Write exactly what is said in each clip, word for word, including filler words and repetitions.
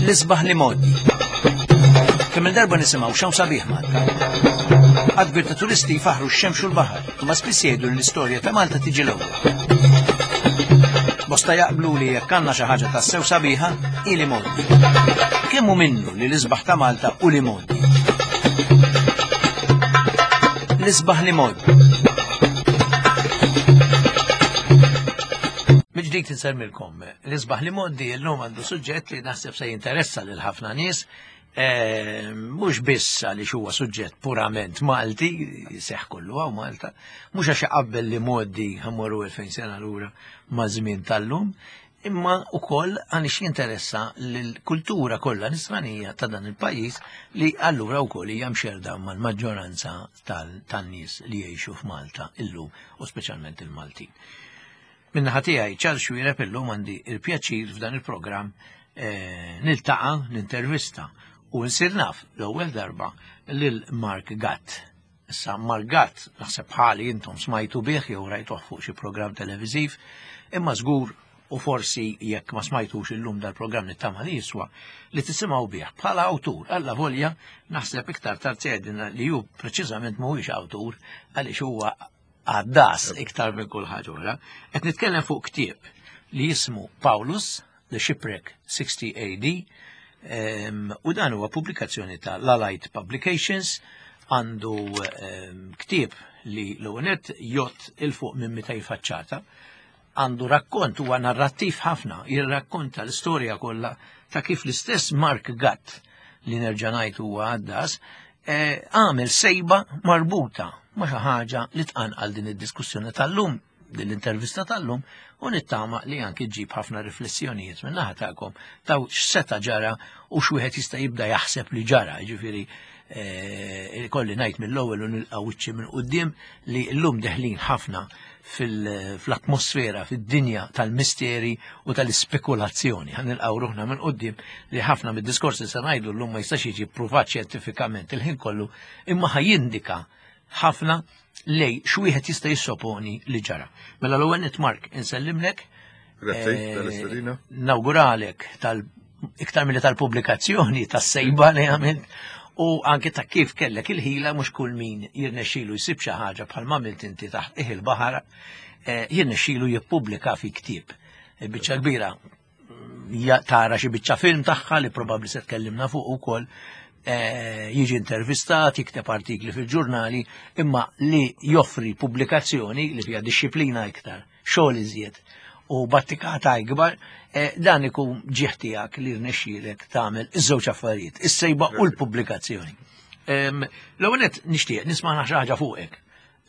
L-isbaħ l-imgħoddi. Kemm il-darba nisimgħu x'hawn sabiħ Malta. Għadd kbir ta' turisti jfaħru x-xemx u l-baħar, imma spiss jgħidu li l-istorja ta' Malta tiġi l-ewwel. Bosta jaqblu li jekk għandna xi ħaġa tassew sabiħa, hi l-imgħoddi. Kemm hu minnu li l-isbaħ ta' Malta hu l-imgħoddi? L-isbaħ l-imgħoddi. Mill-ġdid insemmilkom, l-isbaħ l-imgħoddi llum għandu suġġett li naħseb se jinteressa lil ħafna nies, eh, mhux biss għaliex huwa suġġett purament Malti, seħ kollu hawn Malta, mhux għax iqabbel l-imgħoddi ħammorru elfejn sena lura ma' żmien tal-lum, imma wkoll għaliex jinteressa lill-kultura kollha nisranija ta' dan il-pajjiż li allura wkoll hija mxerda mal-maġġoranza tan-nies li jgħixu f'Malta illum u speċjalment il-Maltin. Min-naħa tiegħi Charles Xuereb illum għandi il-pjaċir f'dan il-programm eh, niltaqa' nintervista u nsir naf l-ewwel darba lil Mark Gatt. Issa Mark Gatt naħseb bħali intom smajtu bih jew rajtuh fuq xi programm televiżiv, imma żgur u forsi jekk ma smajtux illum dal-programm nittama li jiswa li tisimgħu bih bħala awtur alla volja naħseb iktar tard se li hu preċiżament mhuwiex awtur għaliex huwa għaddas iktar minn kull ħaġa oħra. Qed nitkellem fuq ktieb li jismu Paulus, The Shipwreck sixty A D, u dan huwa pubblikazzjoni ta' Lalite Publications, għandu ktieb li l-ewwel jgħodd 'il fuq minn mitej faċċata, għandu rakkont, huwa narrattiv ħafna, jirrakkonta l-istorja kollha ta' kif l-istess Mark Gatt, li nerġa' ngħid huwa għaddas, għamel sejba marbuta ma' xi ħaġa li tqanqal din id-diskussjoni tal-lum, din l-intervista tal-lum, u nittama li anki ġib ħafna riflessjonijiet minn naħa tagħkom ta' x'seta' ġara u x'wieħed jista' jibda jaħseb li ġara, jiġifieri kolli ngħid mill-ewwel u nilqa' wiċċi minn quddiem li llum deħlin ħafna fil-atmosfera, fid-dinja tal-misteri u tal-ispekulazzjoni. Ħa nilqgħu ruħna minn quddiem li ħafna mid-diskorsi se ngħidu llum ma jistax jiġi ppruvat xjentifikament il-ħin kollu, imma ħa jindika ħafna lej x'wieħed jista' jissoponi li ġara. Mela l-ewwel nett Mark insellimlek. Grazzi tal-istedina. Nawguralek tal iktar milli tal-pubblikazzjoni tas-sejba li għamilt u anke ta' kif kellek il-ħila mhux kull min jirnexxilu jsib xi ħaġa bħal ma għamilt inti taħt qiegħ il-baħar, jirnexxilu jippubblika fi ktieb. Biċċa kbira tara xi biċċa film tagħha li probabbli se tkellimna fuq ukoll, jiġi intervistat, jikteb artikli fil-ġurnali, imma li joffri pubblikazzjoni li fiha dixxiplina iktar, xogħol iżjed u battikata ikbar, dan ikun ġieħ tiegħek li rnexxielek tagħmel iż-żewġ affarijiet, is-sejba u l-pubblikazzjoni. L-ewwel nett nixtieq nisma' xi ħaġa fuqek,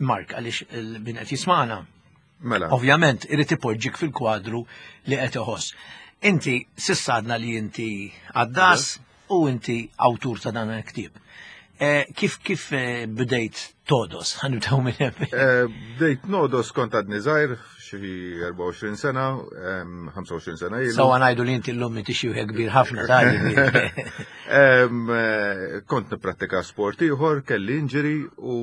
Mark, għaliex min qed jisma'na. Mela. Ovvjament irid ipoġġik fil-kwadru li qed iħoss. Inti s'issa għadna li inti għaddas u inti awtur ta' dan il-ktieb. Kif kif bdejt todos? Ħa nibdew minn hemm. Bdejt nodos kont għadni żgħir, xi erbgħa u għoxrin sena, ħamsa u għoxrin sena ilu. Sawa ngħidu li inti llum inti xi wieħed kbir ħafna ta' Kont nipprattika sport ieħor, kelli injury u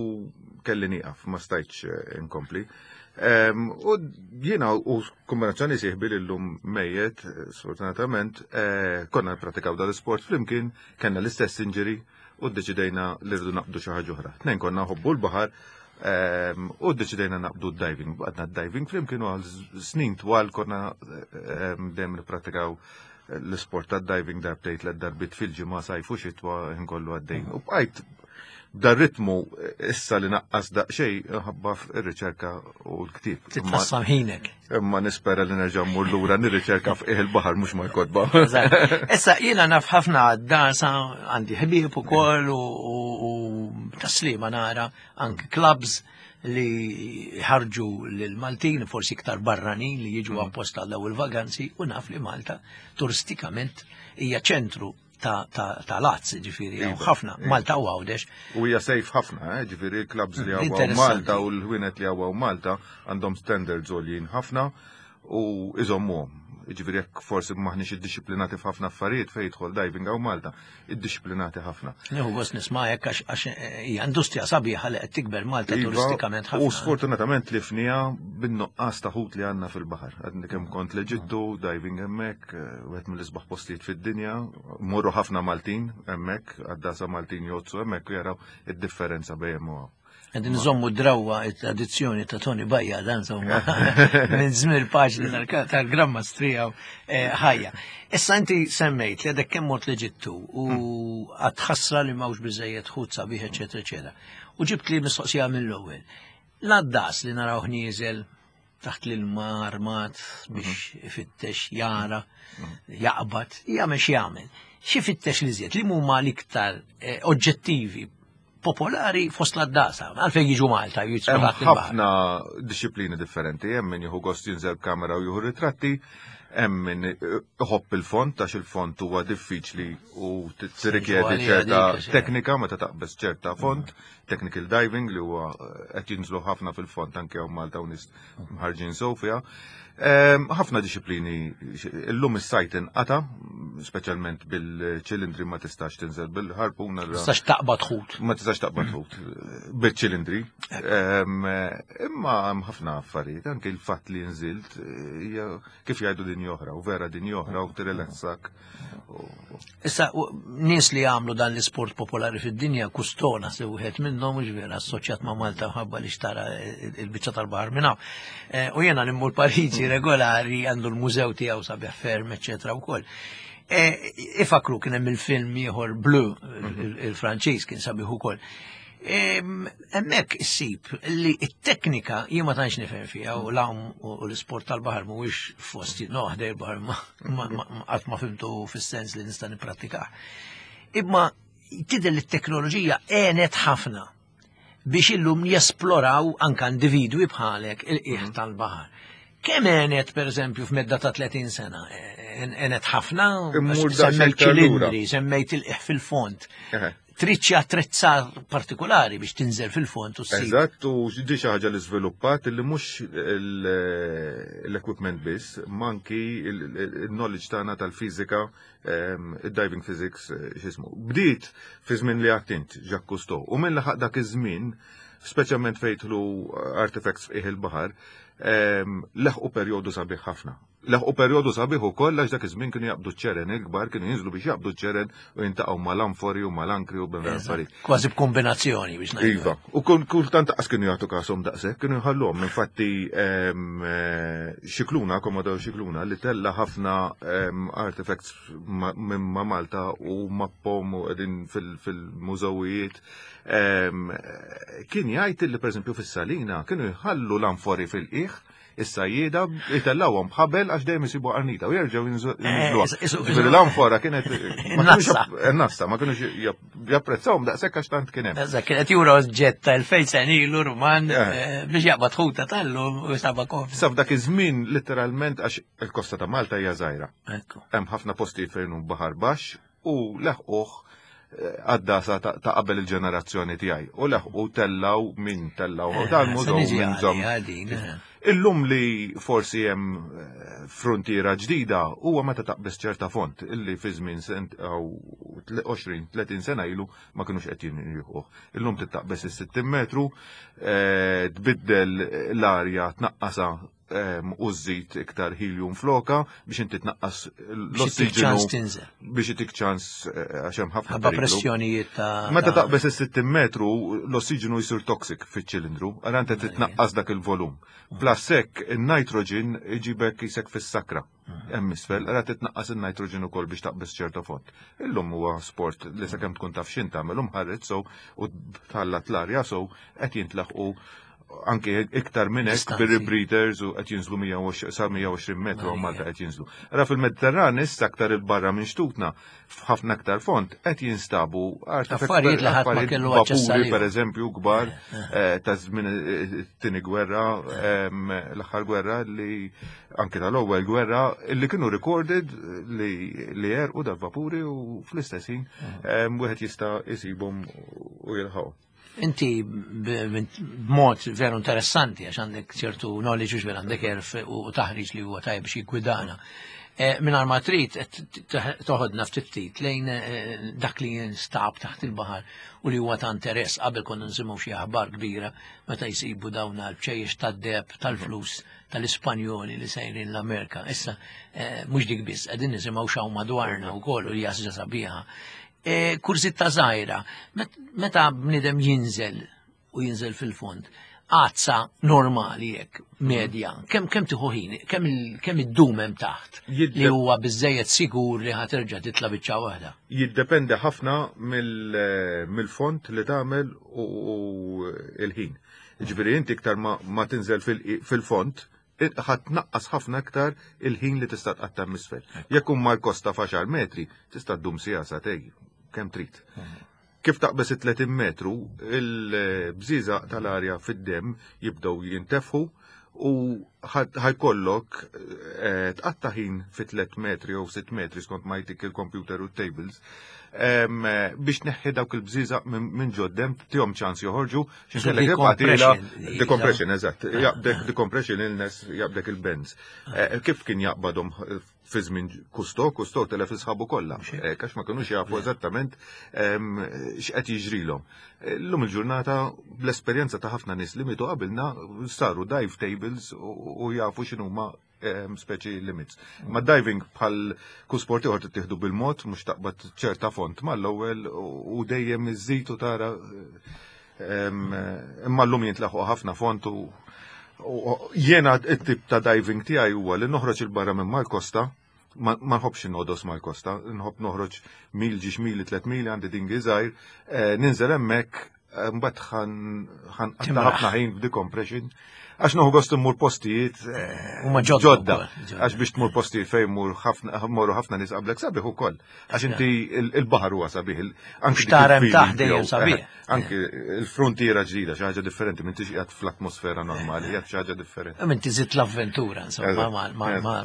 kelli nieqaf, ma stajtx inkompli. U jiena u kombinazzjoni sieħbi li llum mejjet, sfortunatament, konna nippratikaw dal-isport flimkien, kellna l-istess injury u ddeċidejna li rridu naqbdu xi ħaġa oħra. Tnejn konna nħobbu l-baħar u ddeċidejna naqbdu d-diving. Bqadna d-diving flimkien u għal snin twal konna dejjem nippratikaw l-isport tad-diving darbtejn tliet darbiet fil-ġimgħa, sajf u xitwa nkollu għaddejn. U bqajt dar ritmu issa li naqqas daqsxejn ħabba ir-riċerka u l-ktieb. Titqassam ħinek. Imma nispera li nerġa' mmur lura nirriċerka f'qiegħ il-baħar mhux mal-kotba. Issa jiena naf ħafna għaddasa, għandi ħbieb ukoll u taslima nara anke clubs li ħarġu lil Maltin, forsi iktar barranin li jiġu apposta għal dawn il-vaganzi, u naf li Malta turistikament hija ċentru ta', ta, ta' lazz, ġifieri, hawn ħafna, Malta u Għawdex. U hija safe ħafna, eh, ġifieri l-clubs li hawn Malta u l-ħwienet li hawn Malta għandhom standards għoljin ħafna u iżommuhom. Jiġifieri jekk forsi maħniex iddixxiplinati f'ħafna affarijiet fejn jidħol diving hawn Malta, iddixxiplinati ħafna. Nieħu gost nisma' hekk għax għax hija industrija sabiħa li qed tikber Malta Iva, turistikament U ħafna. sfortunatament li fnija bin-nuqqas ta' ħut li għandna fil-baħar. Għadni kemm kont l-Eġittu, diving hemmhekk, eh, wieħed mill-isbaħ postijiet fid-dinja, morru ħafna Maltin hemmhekk, għaddasa Maltin jgħodsu hemmhekk u jaraw id-differenza bejn hemm u hawn. Qegħdin nżommu drawa it-tradizzjoni ta' Tony Bajja dan insomma minn żmien paġni tal-Gran Mastrija ħajja. Issa inti semmejt li għadek kemm mort l-Eġittu u għadħassra li m'hawnx biżejjed ħut sabiħ, eċetera, eċetera. U ġibt li mistoqsija mill-ewwel. L-għaddas li naraw nieżel taħt l-ilma armat biex ifittex jara, jaqbad, jagħmel x'jagħmel. Xi fittex li żjed li huma l-iktar eh, oġġettivi popolari fost l-għaddasa, għalfejn jiġu Malta, jiġu Hemm taħt il-baħar. ħafna disċiplini differenti, hemm min jieħu gost jinżel b'kamera u jieħu ritratti, hemm min iħobb il-fond għax il-fond huwa diffiċli u tirrikjedi għalija ċerta dik, għax- teknika meta taqbeż ċerta fond, technical diving li huwa qed jinżlu ħafna fil-fond anke hawn Malta u nies mħarġin Sofia. Ehm, Ħafna disċiplini, illum is-sajt inqata, speċjalment bil-ċilindri ma tistax tinżel bil-ħarpuna. Tistax taqbad ħut. Ma tistax taqbad ħut bil-ċilindri. Ehm, Imma hemm ħafna affarijiet, anke il-fatt li nżilt hija kif jgħidu din oħra, u vera din oħra u tirrilassak. Issa, u- nies li għamlu dan l-isport popolari fid-dinja, Cousteau se wieħed minnhom mhux vera assoċjat ma' Malta mħabba li xtara il-biċċa tal-baħar minn hawn. Eh, U jiena immur Pariġi regolari għandu l-mużew tiegħu sabiħ ferm, eċetera wkoll. Eh, Ifakru kien hemm il-film ieħor Bleu, il- il-Franċiż kien sabiħ ukoll. Em, Hemmhekk issib li t-teknika jien ma tantx nifhem fiha u l-għawm u l-isport tal-baħar mhuwiex fost no ħdej il-baħar ma ma- ma- qatt ma fimtu fis-sens li nista' nipprattikah. Imma tidher li t-teknoloġija għenet ħafna biex illum jesploraw anka individwi bħalek il-qiegħ tal-baħar. Kemm għenet per eżempju f'medda ta' tletin sena? Għenet ħafna? Immur Semmejt daqsxejn iktar lura. ċilindri, semmejt il-qiegħ fil-fond. Eħe. Trid xi attrezzar partikolari biex tinżel fil-fond u ssib. Eżatt, u di xi ħaġa li żviluppat li mhux l-equipment biss, ma anki il-knowledge tagħna tal-fiżika, ehm, il-diving physics, eh, x'ismu. Bdiet fi żmien li għedt int, Jacques Cousteau, u minn laħaq dak iż-żmien, speċjalment fejn jidħlu artifacts f'qiegħ il-baħar, ehm, leħqu perjodu sabiħ ħafna. Leħqu perjodu sabiħ ukoll għax dak iż-żmien kienu jaqbdu ċ-ċeren il-kbar, kienu jinżlu biex jaqbdu ċ-ċeren u jintaqgħu mal-anfori u mal-ankri u bin affarijiet. Kważi b'kombinazzjoni biex ngħidu. Iva, u kun kultant qas kienu jagħtu kasom daqshekk, kienu jħalluhom. Infatti em, eh, Scicluna, Commodore Scicluna, li tella ħafna em, artifacts ma- minn ma' Malta u mappom u qegħdin fil- fil-mużewijiet, em, kien jgħid li pereżempju fis-Salina kienu jħallu l-anfori fil-qiegħ, is-sajjieda jtellawhom b'ħabel għax dejjem isibu qarnita u jerġgħu jinżluha. Eh, isu- Ġifieri l-anfora kienet ma kinux Nassa. japp- nassa, ma kinux japp- japprezzawhom daqshekk għax tant kien hemm. Eżatt, kienet jura oġġett ta' elfejn sena ilu Ruman Eh. eh, biex jaqbad ħuta tal-lum u saba kof. Sa f'dak iż-żmien literalment għax il-kosta ta' Malta hija żgħira. Ekku. Hemm ħafna postijiet fejn hu baħar baxx u leħquh eh, għaddasa ta' ta' qabel il-ġenerazzjoni tiegħi. U leħqu tellaw min tellaw Eh, dal-mużew se niġi minn żomm. għalija din, eh. Illum li forsi hemm eh, frontiera ġdida huwa meta taqbeż ċerta fond illi fi żmien sent aw għoxrin tletin sena ilu ma kinux qed jinħuh. Illum titaqbeż is-sittin metru, eh, tbiddel l-arja tnaqqasa em, u żżid iktar helium floka biex inti tnaqqas Biex ittik ċans l-ossiġenu tinżel. Biex itik ċans eh, għax hemm ħafna Ħabba periklu. pressjonijiet ta' Meta ta' taqbeż is-sittin metru, l-ossiġenu jsir toxic fiċ-ċilindru, għara inti titnaqqas dak il-volum. Plus hekk il-nitrogen iġibek jisek fis-sakra. Hemm isfel, għara titnaqqas il-nitrogen ukoll biex taqbeż ċerta fond. Illum huwa sport li sakemm tkun taf x'int tagħmel u mħarreġ so u tħallat l-arja so qed jintlaħqu anke iktar minn hekk Distanzi. bir-rebreathers u qed jinżlu mija u għoxrin sa mija u għoxrin metru u Malta qed jinżlu. Ara fil-Mediterran issa aktar il-barra minn xtutna f'ħafna aktar fond qed jinstabu Affarijiet li ħadd ma affarijiet kellu aċċess vapuri għalihom. per eżempju kbar eh, ta' żmien eh, it-tieni gwerra, em, l-aħħar gwerra li anke tal-ewwel gwerra li kienu recorded li li għerqu dal-vapuri u fl-istess ħin em, wieħed jista' jsibhom u jilħaqu. Inti b'mod veru interessanti, għax għandek ċertu knowledge u għandek għerf u taħriġ li huwa tajjeb biex jiggwidana. Mingħajr ma trid toħodna ftit ftit lejn dak li jinstab taħt il-baħar u li huwa ta' interess. Qabel konna nsimgħu xi aħbar kbira meta jsibu dawn l-bċejjex tad-deheb tal-flus tal-Ispanjoli li sejrin l-Amerika. Issa mhux dik biss, qegħdin nisimgħu x'hawn madwarna wkoll u li ħaġa sabiħa. Kurżità żgħira, meta bniedem jinżel u jinżel fil-fond, għadsa normali jekk, medja, kemm kemm tieħu ħin, kemm iddum hemm taħt li huwa biżejjed sigur li ħa terġa' titla' biċċa waħda? Jiddependi ħafna mill-fond li tagħmel u l-ħin. Ġifieri inti iktar ma tinżel fil-fond, ħa tnaqqas ħafna aktar il-ħin li tista' tqatta' misfel. Jekk huma l-kosta f'għaxar metri, tista' ddum siegħa, sagħtejn, kemm trid. Kif taqbeż it-tletin metru, il-bżiżaq tal-arja fid-dem jibdew jintefħu u ħa jkollok tqatta' ħin fi tliet metri jew sitt metri skont ma jtik il-computer u tables biex tneħħi dawk il-bżiżaq minn ġod-demm, tihom ċans joħorġu, decompression, eżatt, jaqbdek decompression illness, jaqbdek il-bends. Kif kien jaqbadhom fi żmien Cousteau, Cousteau telef sħabu kollha, għax ma kinux jafu eżattament x'qed jiġrilhom. Illum il-ġurnata bl-esperjenza ta' ħafna nies li mietu qabilna saru dive tables u jafu x'inhuma speċi limits. Ma diving bħal kull sport ieħor tittieħdu bil-mod, mhux taqbad ċerta font mal-ewwel u dejjem iżżid u tara, imma llum jintlaħqu ħafna font u jiena it-tip ta' diving tiegħi huwa li noħroġ il-barra minn mal-kosta, ma nħobbx inogħdos mal-kosta, nħobb noħroġ mil, żewġ mili, tliet mili, għandi dinghy żgħir, ninżel hemmhekk, mbagħad ħa nqatta' ħafna ħin b'decompression. Għax nieħu gost immur postijiet ġodda. Għax biex tmur postijiet fejn mur ħafna morru ħafna nies qablek sabiħ ukoll. Għax inti il-baħar huwa sabiħ. Anki xtarem taħt dejjem sabiħ. Anki il-frontiera ġdida, xi ħaġa differenti, m'intix qiegħed fl-atmosfera normali, qiegħed xi ħaġa differenti. Minti żidt l-avventura, insomma,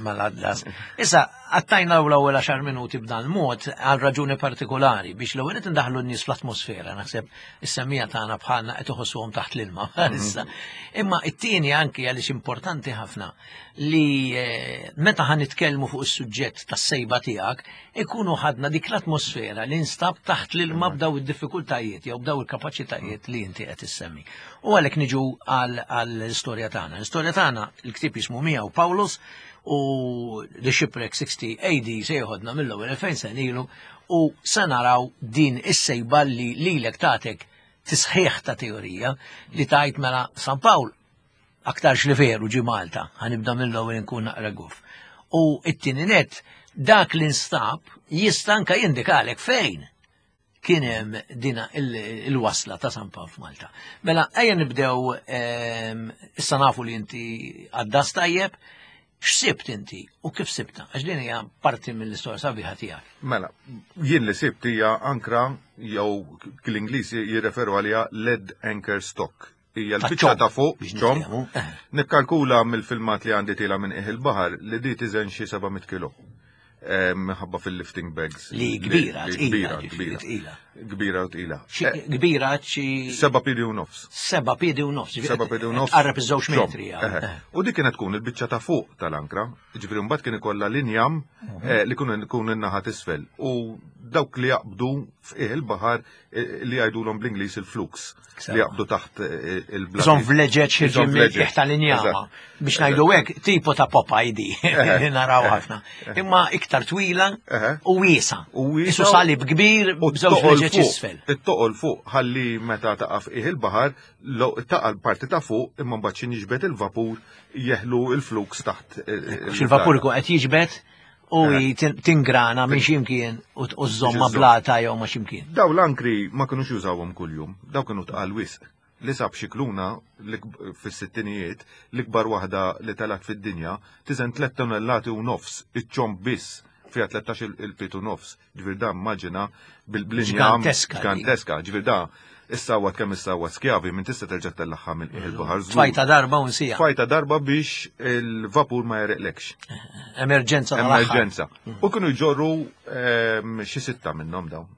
mal-Atlas. Issa, qattajna l-ewwel għaxar minuti b'dan mod għal raġuni partikolari biex l-ewwel qed indaħlu n-nies fl-atmosfera, naħseb is-semmiegħa tagħna bħalna qed iħossuhom taħt l-ilma. Issa. Imma it-tieni anki għaliex importanti ħafna li meta ħa nitkellmu fuq is-suġġett tas-sejba tiegħek ikunu ħadna dik l-atmosfera li nstab taħt l-ilma b'daw id-diffikultajiet jew b'daw il-kapaċitajiet li inti qed issemmi. U għalhekk niġu għall-istorja tagħna. L-istorja tagħna, il-ktieb jismu Miegħu Paulus u The Shipwreck sixty A D se joħodna mill-ewwel elfejn sena ilu u se naraw din is-sejba li lilek tagħtek tisħiħ ta' teorija li tajt mela San Pawl aktarx li veru ġi Malta, ħa nibda mill-ewwel nkun naqra guf. U it-tieni net, dak li nstab jista' anka jindikalek fejn kien hemm dina il-wasla ta' San Pawl f'Malta. Mela ejja nibdew, issa nafu li inti għaddas tajjeb, x'sibt inti u kif sibta? Għax din hija parti mill-istorja sabiħa tiegħek. Mela, jien li sibt hija ankra jew l-Ingliż jirreferu għaliha lead anchor stock. Hija l-biċċa ta' fuq, ċomb. Nikkalkula mill-filmat li għandi tiela' minn qiegħ il-baħar li di tiżen xi seba' mitt kilo. Minħabba fil-lifting bags. Li kbira, Kbira, kbira. Kbira u tqila. Kbira xi Seba' piedi u nofs. Seba' piedi u nofs. Seba' piedi u nofs. Qarreb iż-żewġ metri. U dik kienet tkun il-biċċa ta' fuq tal-ankra, ġifieri mbagħad kien ikollha l-injam li kun ikun in-naħa t'isfel. U dawk li jaqbdu f'qiegħ il-baħar li jgħidulhom bl-Ingliż il-flukes, li jaqbdu taħt il-blat. Żon vleġeġ ħirġin mill-qiegħ tal-injama. Biex ngħidu hekk tipo ta' Popeye di li naraw ħafna. Imma iktar twila u wiesa. U wiesa Isu salib kbir u b'żewġ t-toqol vleġeġ fuq. isfel. It-toqol fuq ħalli meta taqa' f'qiegħ il-baħar, taqa' l-parti ta' fuq imma mbagħad xi jiġbed il-vapur jeħlu il-flukes taħt Għax il-vapur ikun qed jiġbed u tingrana minn ximkien u żżomm ma' blata jew ma' ximkien. Daw l-ankri ma kinux jużawhom kuljum, daw kienu tqal wisq. Li sab Scicluna fis-sittinijiet, l-ikbar waħda li talat fid-dinja, tiżen tliet tonnellati u nofs, iċ-ċomb biss fiha tlettax il-pied u nofs. Ġifier da immaġina bil-blinjam Ġiganteska. Ġiganteska, ġifier da issawat kemm issawat skjavi minn tista' terġa' tellagħha minn qiegħ il-baħar żgur. Tfajta darba u nsija. Tfajta darba biex il-vapur ma jereqlekx. Emerġenza tal-aħħar. Emerġenza. U kienu jġorru xi sitta minnhom dawn.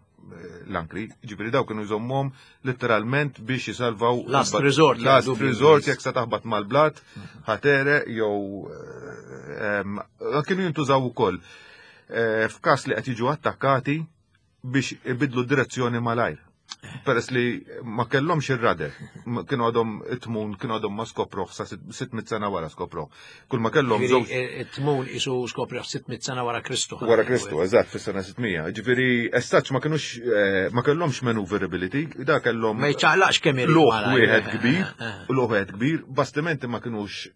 l-ankri, ġifieri daw kienu jżommhom letteralment biex jisalvaw. Last resort. Last resort, jekk sa taħbat mal-blat, ħatere jew kienu jintużaw ukoll f'każ li qed jiġu attakkati biex ibidlu direzzjoni malajr. Peress li ma kellhomx ir-radar, kienu għadhom it-tmun, kienu għadhom ma skoproh sa sitt mitt sena wara skoproh. Kull ma kellhom żewġ. It-tmun isu skoproh sitt mitt sena wara Kristu. Wara Kristu, eżatt, fis-sena sitt mija. Ġifieri as such ma kinux ma kellhomx maneuverability, da kellhom. Ma jċaqlaqx kemm irid. Luħ wieħed kbir, luħ wieħed kbir, bastimenti ma kinux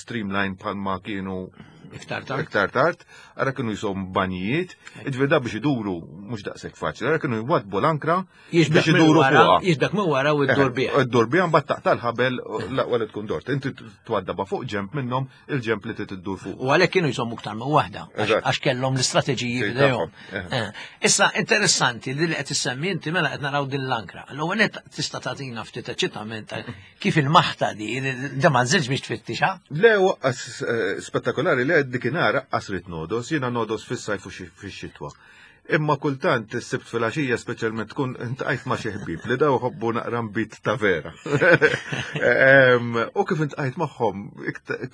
streamline bħalma kienu iktar tard. Iktar tard, ara kienu jisom banjijiet, ġifieri da biex iduru mhux daqshekk faċli, ara kienu jwadbu l-ankra biex iduru fuqha. Jiġbek minn wara u ddur biha. Iddur biha mbagħad taqta' l-ħabel l-aqwa li tkun dort. Inti twaddaba fuq ġemp minnhom il-ġemp li trid iddur fuq. U għalhekk kienu jżommu iktar minn waħda, għax kellhom l-istrateġiji f'idejhom. Issa interessanti li qed issemmi inti mela qed naraw din l-ankra. L-ewwel nett tista' tagħtina ftit eċitament kif il-maħta di, da ma nżilx biex tfittixha. Le, spettakolari li dikinara qasrit nodos, jiena nodos fis-sajf u fix-xitwa. Imma kultant is-Sibt filgħaxija speċjalment tkun intqajt ma' xi ħbieb li daw ħobbu naqra nbit ta' vera. U kif intqajt magħhom,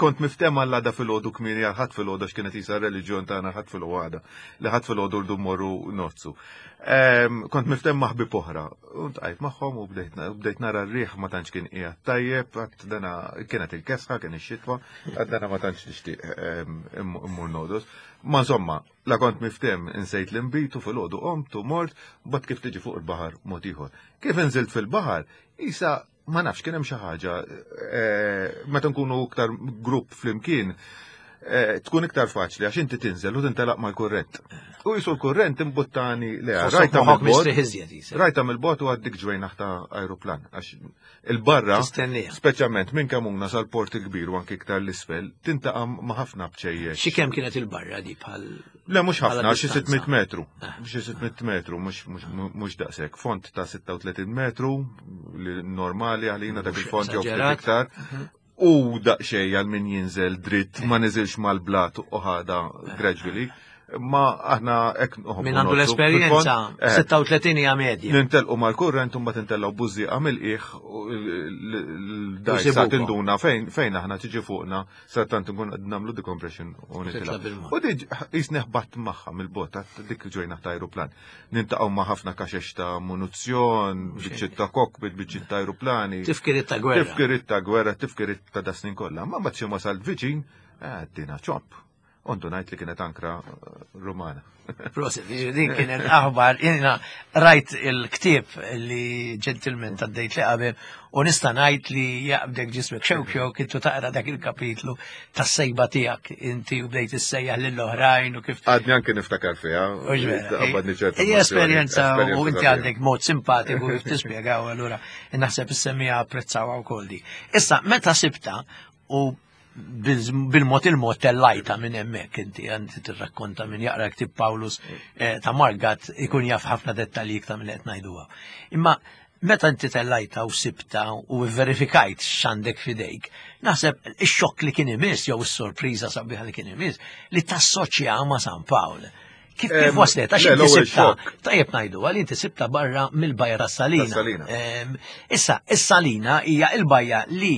kont miftehma għall-għada filgħodu kmieni għal ħadd filgħodu għax kienet isa r-reliġjon tagħna ħadd filgħodu, li ħadd filgħodu rdu mmorru nozzu. Kont miftem ma' ħbieb oħra, u ntqajt magħhom u bdejt nara r-riħ ma tantx kien qiegħed tajjeb, għad dana kienet il-kesħa, kien ix-xitwa, għad dana ma tantx nixtieq immur nodos. Ma insomma, la kont miftem insejt l-inbit u filgħodu qomt u mort, mbagħad kif tiġi fuq il-baħar mod ieħor. Kif inżilt fil-baħar, isa ma nafx kien hemm xi ħaġa, meta nkunu iktar grupp flimkien, tkun iktar faċli għax inti tinżel u tintelaq mal-kurrent. U jisu l-kurrent imbuttani le rajta mill-bot. Rajta mill-bot u għaddik ġwejnaħ ta' aeroplan. Għax il-barra, speċjalment minn Kamuna sal-port il-kbir u anki iktar l-isfel, tintaqa' ma' ħafna bċejjex. Xi kemm kienet il-barra di bħal? Le, mhux ħafna, xi sitt mitt metru. Xi sitt mitt metru, mhux daqshekk. Font ta' sitta u tletin metru, li normali għalina dak il-font jew ftit iktar. U daqxej għal min jinżel dritt, ma niżilx mal-blat u ħada gradually. Ma aħna hekk noħobbu. Min għandu l-esperjenza, sitta u tletin hija medja. Nintelqu mal-kurrent u mbagħad intellgħu bużieqa mill-qiegħ l-dajsa tinduna fejn fejn aħna tiġi fuqna sa tant nkun qed nagħmlu decompression u nitilgħu. U diġ qisni ħbatt magħha mill-bot dik ġejna ta' aeroplan. Nintaqgħu ma' ħafna kaxex ta' munizzjon, biċċiet ta' cockpit, biċċiet ta' aeroplani. Tifkiriet ta' gwerra. Tifkiriet ta' gwerra, tifkiriet ta' dasnin kollha. Ma mbagħad xi wasalt viċin, għaddina ċomp. Ondu ngħid li kienet ankra Rumana. Prosit, din kienet aħbar, jiena rajt il-ktieb li ġentilment għaddejt li qabel u nista' ngħid li jaqbdek ġismek xewk xewk intu taqra dak il-kapitlu tas-sejba tiegħek inti u bdejt issejjaħ lill-oħrajn u kif. Għadni anke niftakar fiha. Hija esperjenza u inti għandek mod simpatiku kif tispjegaw allura naħseb is-semmiegħa apprezzawha wkoll di. Issa meta sibta u bil-mod il-mod tellajta minn hemmhekk inti għandi tirrakkonta minn jaqra ktib Paulus ta' Margat ikun jaf ħafna dettalji iktar minn qed ngħiduha. Imma meta inti tellajta u sibta u verifikajt x'għandek f'idejk, naħseb ix-xokk li kien imiss jew is-sorpriża sabiħa li kien imiss li tassoċja ma' San Pawl. Kif kif waslet? Għax inti sibta, tajjeb ngħidu, għal inti sibta barra mill-bajja tas-Salina. Issa, is-Salina hija l-bajja li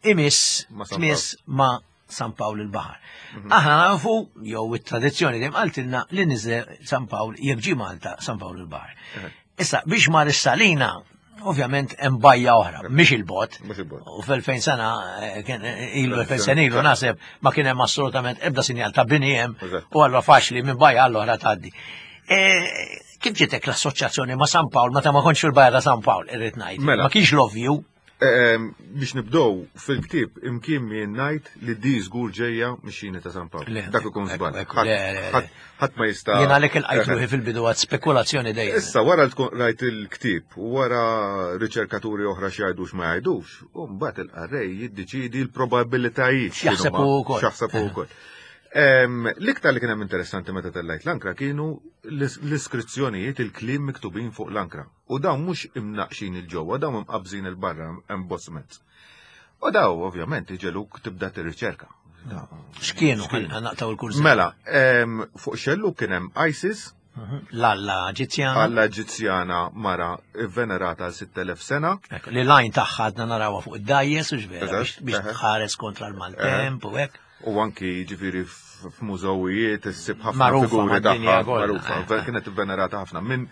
imiss tmiss ma' San Pawl il-Baħar. Aħna nafu, jew it-tradizzjoni dejjem qaltilna li niżel San Pawl jekk ġie Malta San Pawl il-Baħar. Issa biex mar is-Salina, ovvjament hemm bajja oħra, mhix il-bot. U f'elfejn sena kien ilu elfejn sena ilu naħseb ma kien hemm assolutament ebda sinjal ta' bini hemm u allura faċli minn bajja għall-oħra tgħaddi. Kif ġietek l-assoċjazzjoni ma' San Pawl meta ma kontx fil-bajja ta' San Pawl, irrid ngħid. Ma kienx l-ovvju. Biex nibdow fil-ktib imkien jien ngħid li di żgur ġejja mix-xini ta' San Pawl. Dak ikun żball. Ħadd ma jista'. Jien għalhekk ilqajt ruħi fil-bidu għad spekulazzjoni dejjem. Issa wara tkun rajt il-ktieb u wara riċerkaturi oħra xi jgħidux ma jgħidux, u mbagħad il-qarrej jiddeċiedi l-probabilitajiet. X'jaħseb hu wkoll. X'jaħseb hu wkoll. L-iktar li kien hemm interessanti meta tellajt l-ankra kienu l-iskrizzjonijiet, il-kliem miktubin fuq l-ankra. U dawn mhux imnaqxin il-ġewwa, dawn imqabżin il-barra embossments. U daw ovvjament iġeluk tibda tirriċerka. X'kienu naqtaw il-kurż? Mela, fuq xellu kien hemm ISIS, L-Alla Eġizzjana. Alla Eġizzjana mara venerata għal sitt elef sena. Ekku, li l-għajn tagħha għadna narawha fuq id-dajjes u x'vera biex tħares kontra l-maltemp u hekk. U anki ġifieri f'mużewijiet issib ħafna figuri tagħha magħrufa. Kienet venerata ħafna minn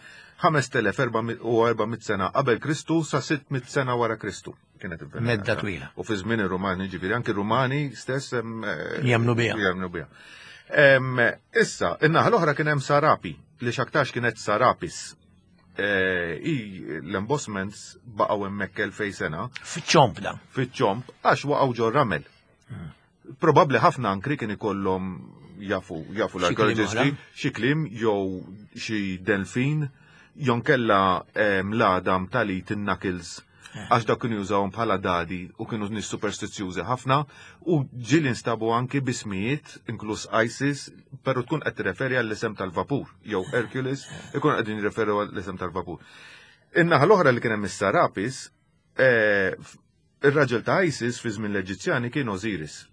ħamest elef u erba' mitt sena qabel Kristu sa sitt mitt sena wara Kristu. Kienet venerata. Medda twila. U fi żmien ir-Rumani ġifieri anki r-Rumani stess jemnu biha. Jemnu biha. Issa, in-naħa l-oħra kien hemm Sarapi, li x'aktarx kienet Sarapis. I l-embossments baqgħu hemmhekk elfej sena. Fiċ-ċomp da. Fiċ-ċomp, għax waqgħu ġo ramel. Probabbli ħafna ankri kien ikollhom jafu jafu l-arkeoloġisti xi kliem jew xi delfin jew kella l-għadam tal-it in-knuckles għax dak kienu jużawhom bħala dadi u kienu nies superstizzjużi ħafna u ġieli instabu anki bismijiet inkluż ISIS, però tkun qed tirreferi għall-isem tal-vapur jew Hercules ikun qegħdin jirreferu għall-isem tal-vapur. In-naħa l-oħra li kien hemm is-Sarapis, ir-raġel ta' ISIS fi żmien l-Eġizzjani kien Osiris.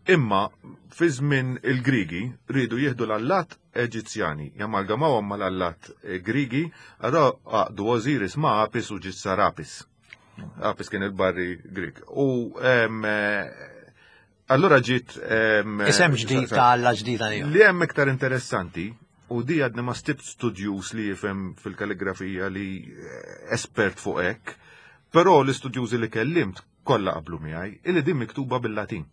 Imma fi żmien il-Grigi rridu jieħdu l-allat Eġizzjani, jamalgamawhom mal-allat Grigi, allura għaqdu Osiris ma' Apis u ġiet Sarapis. Apis kien il-barri Grik. U allura ġiet isem ġdid ta' alla ġdida li. Li hemm iktar interessanti, u di għadni ma stibt studjuż li jifhem fil-kalligrafija li espert fuq hekk, però l-istudjużi li kellimt kollha qablu miegħi, illi din miktuba bil-Latin.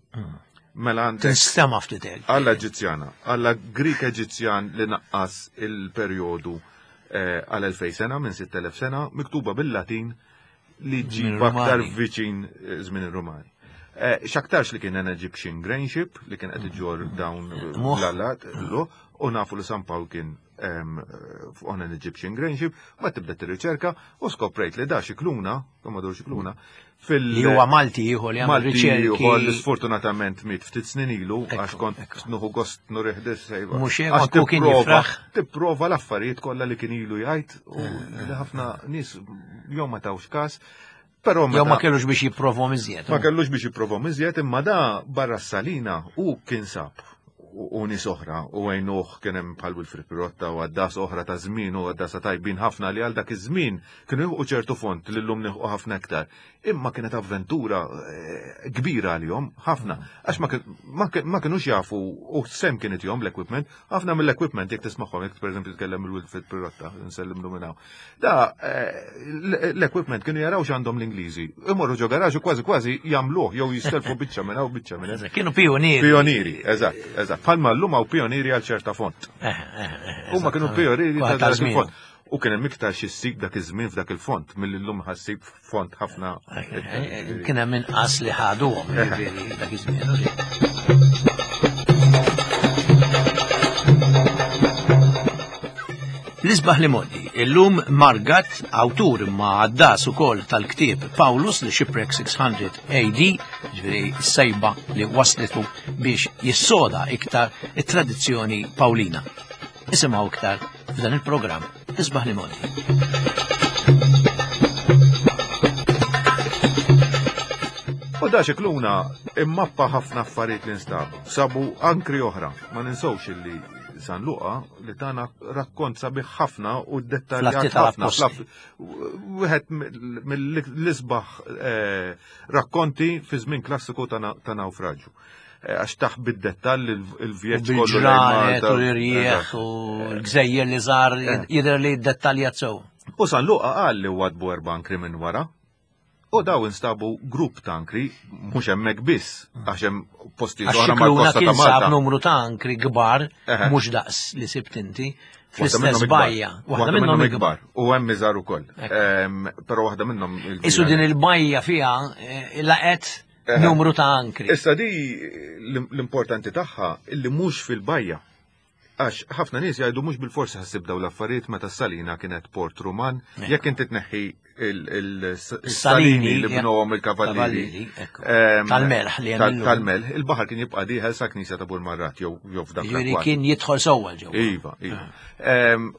Mela għandek tinstema' ftit hekk. Alla Eġizzjana, alla Grik Eġizzjan li naqqas il-perjodu għal elfej sena minn sitt elef sena, miktuba bil-Latin li ġib aktar viċin żmien ir-Rumani. X'aktarx li kien an Egyptian grain ship li kien qed iġor dawn l-allat, u nafu li San Pawl kien on an Egyptian grain ship, ma tibda tirriċerka u skoprejt li da Xikluna, Kommodor Xikluna, fil li huwa Malti ieħor li għamel riċerki. Ieħor li sfortunatament miet ftit snin ilu għax kont nuħu gost nurih sejba. Mhux hekk kien jifraħ. Tipprova l-affarijiet kollha li kien ilu jgħid u li ħafna nies jew ma tawx każ. Però jew ma kellux biex jipprovhom iżjed. Ma kellux biex jipprovhom iżjed, imma da barra s-Salina u kien sab u nies oħra u għajnuh kien hemm bħal Wilfrid Pirotta u għaddas oħra ta' żmien u għaddasa tajbin ħafna li għal dak iż-żmien kienu jieħu ċertu font li llum nieħu ħafna iktar. Imma kienet avventura kbira għalihom ħafna għax ma kinux jafu u sem kienet jom l-equipment, ħafna mill-equipment jekk tismagħhom jekk pereżempju tkellem il-Wilfrid Pirotta nsellimlu minn hawn. Da l-equipment kienu jaraw x'għandhom l-Ingliżi. Imorru ġo garaġ u kważi kważi jagħmluh jew jistelfu biċċa minn hawn biċċa minn hemm. Kienu pionieri. Pionieri, eżatt, eżatt. Palma l-lum għaw pionieri għal ċerta font. Huma kienu pionieri ta' dak il-font. U kien hemm iktar xi ssib dak iż-żmien f'dak il-font milli llum ħassib font ħafna. Kien hemm inqas li ħaduhom jiġifieri dak iż-żmien. L-isbaħ li modi, illum Margat, awtur ma għaddas ukoll tal-ktieb Paulus li Shipwreck six hundred A D, ġifieri s-sejba li waslitu biex jissoda iktar it-tradizzjoni Pawlina. Isimgħu iktar f'dan il-programm Isbaħ li modi. U da Xikluna immappa ħafna affarijiet li nstabu. Sabu ankri oħra, ma ninsewx illi San Luqa li tana rakkont sabiħ ħafna u dettaljat ħafna. Wieħed mill-isbaħ rakkonti fi żmien klassiku ta' nawfraġġju. Għax taħ bid-dettall il-vjeġġ kollu. Bil-ġranet u l-irjieħ u l-gżejjer li żar jidher li dettaljat sew. U San Luqa qal li wadbu erba' ankri minn wara. U daw instabu grupp ta' ankri, mhux hemmhekk biss, għax hemm postijiet oħra mal-kosta ta' Malta. Sab numru ta' ankri kbar, mhux daqs li sibt inti, fl-istess bajja. Waħda minnhom ikbar. U hemm iżgħar ukoll. Però waħda minnhom. Isu din il-bajja fiha laqet numru ta' ankri. Issa di l-importanti tagħha illi mhux fil-bajja. Għax ħafna nies jgħidu mhux bil-forsi ħassib daw l-affarijiet meta s-Salina kienet port Ruman, jekk inti tneħħi il-salini li bnowhom il-kavallieri. Tal-melħ li hemm. Tal-melħ, il-baħar kien jibqa' dieħel sa knisja ta' Burmarrat jew f'dak l-akwar. Kien jidħol sewwa ġewwa. Iva, iva.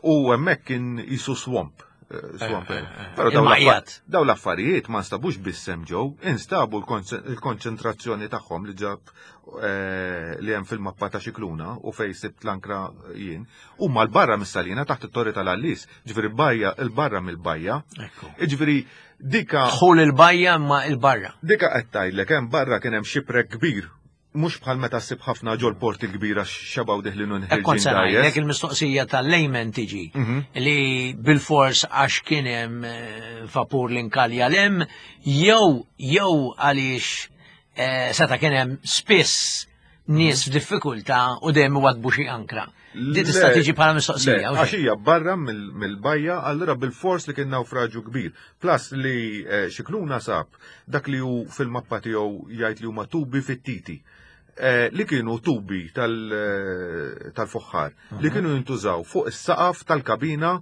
U hemmhekk kien jisu swamp. eh, Swamp. Però daw Il-majjat. l-affa- daw l-affarijiet ma nstabux biss hemm ġew, instabu l-konċentrazzjoni tagħhom li ġab eh, li hemm fil-mappa ta' Xikluna u fej sibt l-ankra jien, huma l-barra mis-salina taħt it-torri tal-Għallis, ġifieri bajja il-barra mill-bajja. Ekku. Ġifieri dika Dħul il-bajja ma il-barra. dika qed tgħidlek hemm barra kien hemm xiprek kbir, mhux bħal meta ssib ħafna ġol port il-kbira xebaw diħlin u Hekk kont nħirġin se ngħidlek dajjes. il-mistoqsija tal-layman tiġi Mhm. li bil-fors għax kien hemm eh, vapur li nkalja lem jew jew għaliex eh, seta' kien hemm spiss nies f'diffikultà u dejjem iwadbu xi ankra. Di tista' Le, tiġi bħala Le, mistoqsija. u għax xejn. hija barra mill- mill-bajja, allura bil-fors li kien nawfraġu kbir. Plus li eh, Xikluna sab dak li hu fil-mappa tiegħu jgħid li huma tubi fit-titi. Eh, li kienu tubi tal- eh, tal-foħħar li kienu jintużaw fuq is-saqaf tal-kabina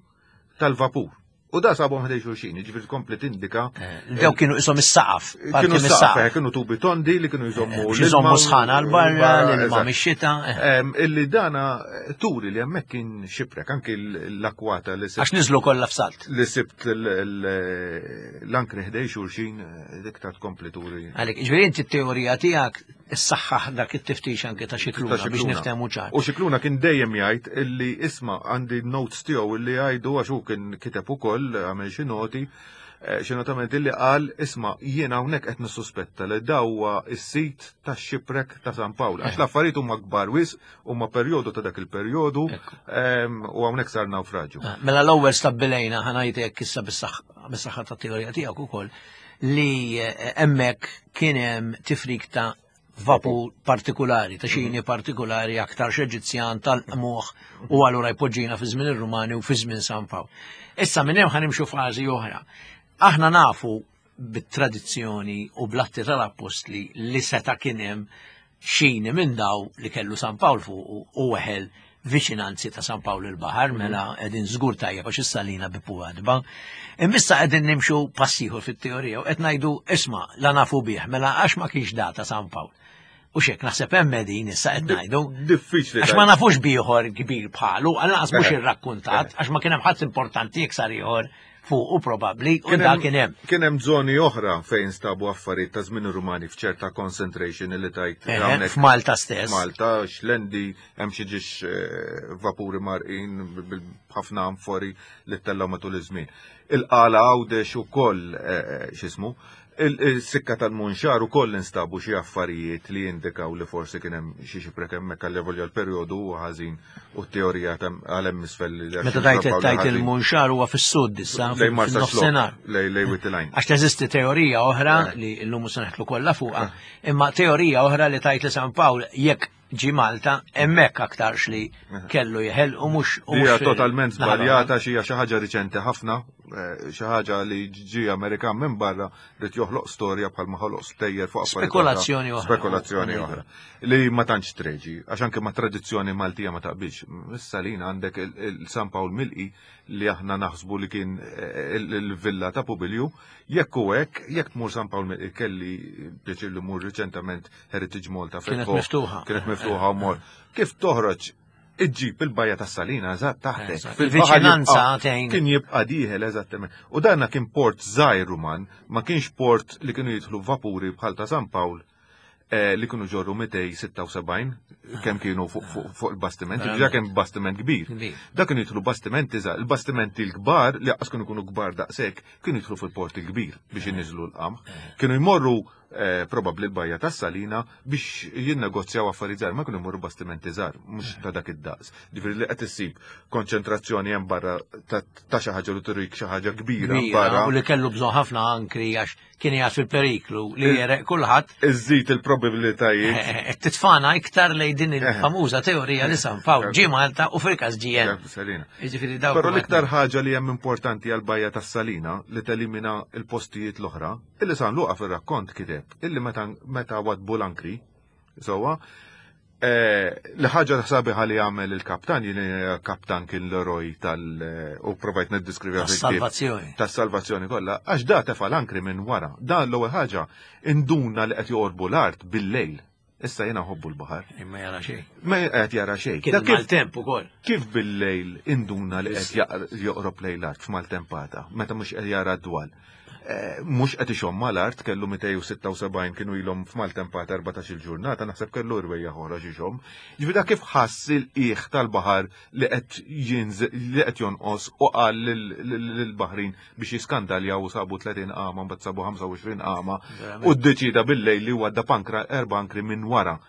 tal-vapur. U da sabhom ħdej xulxin, jiġifieri tkompli tindika Eh, Daw kienu isom is-saqaf, parti kienu saqaf, mis-saqaf. eh, kienu tubi tondi li kienu jżommu Biex iżommu l-ilma u- sħana għal barra, l-ilma eżatt. mix-xita. eh. Em, Illi dana eh, turi li hemmhekk kien xiprek, anki l- l-akwata li sibt Għax niżlu kollha f'salt. li sibt l- l- l-ankri ħdej xulxin, eh, dik ta' tkompli turi. Għalek, ġifieri inti t-teorija tiegħek issaħħaħ dak it-tiftix anke ta' Xikluna Ta' biex Xikluna. niftehmu ċar. U Xikluna kien dejjem jgħid illi isma' għandi notes tiegħu illi jgħidu għax hu kien kiteb ukoll għamel xi noti, eh, xi notament illi qal isma' jiena hawnhekk qed nissuspetta li dawwa is-sit tax-xiprek ta' San Pawl. Għax l-affarijiet huma kbar wisq, huma perjodu ta' dak il-perjodu Ekku. em, u hawnhekk sar nawfraġu. Ah, Mela l-ewwel stabbilejna ħanajtek issa bis-saħħa bis-saħħa tat-teorija tiegħek ukoll li eh, hemmhekk kien hemm tifrik ta' vapur partikolari, ta' xini partikolari aktar Eġizzjan tal-qmuħ u allura jpoġġina fi żmien ir-Rumani u fi żmien San Pawl. Issa minn hemm ħanimxu fażi oħra. Aħna nafu bit-tradizzjoni u bl-atti tal-appostli li seta' kien hemm xini minn daw li kellu San Pawl fuq u weħel viċinanzi ta' San Pawl il-Baħar, mela qegħdin żgur tajjeb għax is-salina bipu għadba. Immissa qegħdin nimxu passiħu fit-teorija u qed ngħidu isma' la nafu bih, mela għax ma kienx data San Pawl. U xek naħseb hemm qegħdin issa qed ngħidu. Diffiċli. Għax ma nafux bieħor kbir bħalu, għal mhux Eh. irrakkuntat, għax ma kien hemm ħadd importanti iksar ieħor fuq u probabbli u da kien hemm. Kien hemm żoni oħra fejn stabu affarijiet ta' żmien ir-Rumani f'ċerta concentration li tajt Eh, hawnhekk F'Malta stess. Malta, xlendi, hemm xi ġiex eh, vapuri marqin bil- b'ħafna amfori li tellgħu matul iż-żmien. Il-qala Għawdex ukoll eh, x'ismu, il- il-sikka tal-Munxar ukoll instabu xi affarijiet li jindikaw li forsi kien hemm xi xiprek hemmhekk għal volja l-perjodu huwa ħażin u t-teorija ta' għal hemm isfel li għax Meta tajt San Pawl tajt ħażin. il-Munxar huwa fis-sud issa, Lej Marsa fin-nofsinhar. Xlokk, lej lej Witilajn. Għax teżisti teorija oħra Eh. li llum se neħtlu kollha fuqha, imma teorija oħra li tajt li San Pawl jekk ġi Malta hemmhekk aktarx li kellu jeħel u mhux u Hija mhux totalment naħa żbaljata xi hija xi ħaġa riċenti ħafna, eh, xi ħaġa li ġi Amerikan minn barra rid joħloq storja bħal ma ħoloq stejjer fuq affarijiet oħra. Spekulazzjoni oħra. Spekulazzjoni oħra. Li ma tantx treġi, għax anke ma tradizzjoni Maltija ma taqbilx. Issa lina għandek il-San Pawl Milqi li aħna naħsbu li kien eh, il- il-villa ta' Pubilju, jekk u hekk, jekk tmur San Pawl Milqi kelli pjaċir li mur riċentament Heritage Malta Kienet fetħu- miftuħa. Kienet miftuħa u mor. Kif toħroġ iġġib il-bajja tas salina eżatt taħtek. Eżatt. Fil-baħar Il-viċinanza jibqa' tgħin. Kien jibqa' dieħel eżattament. U danna kien port żgħir Ruman, ma kienx port li kienu jidħlu vapuri bħal ta' San Pawl eh, li kienu ġorru mitejn u sitta u sebgħin kemm kienu fuq fuq- fuq il-bastiment, Verament. ġa kien bastiment kbir. Kbir. Da kienu jidħlu bastimenti żgħar, il-bastimenti l-kbar li aqas kienu jkunu kbar daqshekk, kienu jidħlu fil-port il-kbir biex inniżlu l-qamħ. Kienu jmorru eh, probabbli l-bajja tas-Salina biex jinnegozjaw affarijiet żgħar, ma kienu jmorru bastimenti żgħar, mhux ta' dak id-daqs. Ġifieri li qed issib konċentrazzjoni hemm barra ta' ta' xi ħaġa li turik xi ħaġa kbira Kbira, barra. u li kellu bżonn ħafna ankri għax kien jgħat fil-periklu li jereq kulħadd Iżżid il-probabilitajiet. eh, titfana iktar lej din il-famuża teorija li San Pawl ġie Malta u fil-każ ġie hemm. Salina. Jiġifieri dawk Però huma- l-iktar ħaġa li hemm importanti għal bajja tas-Salina li telimina il-postijiet l-oħra, illi San Luqa fir-rakkont kiteb illi meta meta wadbu l-ankri, sewwa, eh, li ħaġa sabiħa li għamel il-kaptan, jien kaptan kien l-eroj tal- eh, u provajt niddeskrivi Tas-salvazzjoni. tas-salvazzjoni kollha, għax da tefa l-ankri minn wara. Da l-ewwel ħaġa induna li qed joqorbu l-art bil-lejl. Issa jiena nħobbu l-baħar. Imma jara xejn. Ma qed jara xejn. Kien maltemp ukoll. Kif bil-lejl induna li qed joqrob lejn l-art f'maltempata, meta mhux qed jara d-dwal. Mhux qed ixomm mal-art, kellu mitejn u sitta u sebgħin kienu ilhom f'maltempata erbatax-il ġurnata, naħseb kellu rwejja oħra xi xomm. Ġifieri dak kif ħass il-qiegħ tal-baħar li qed jinżel, li qed jonqos u qal lill-baħrin biex jiskandaljaw u sabu tletin qama, mbagħad sabu ħamsa u għoxrin qama u ddeċida bil-lejl li għadda pankra erba' ankri minn wara.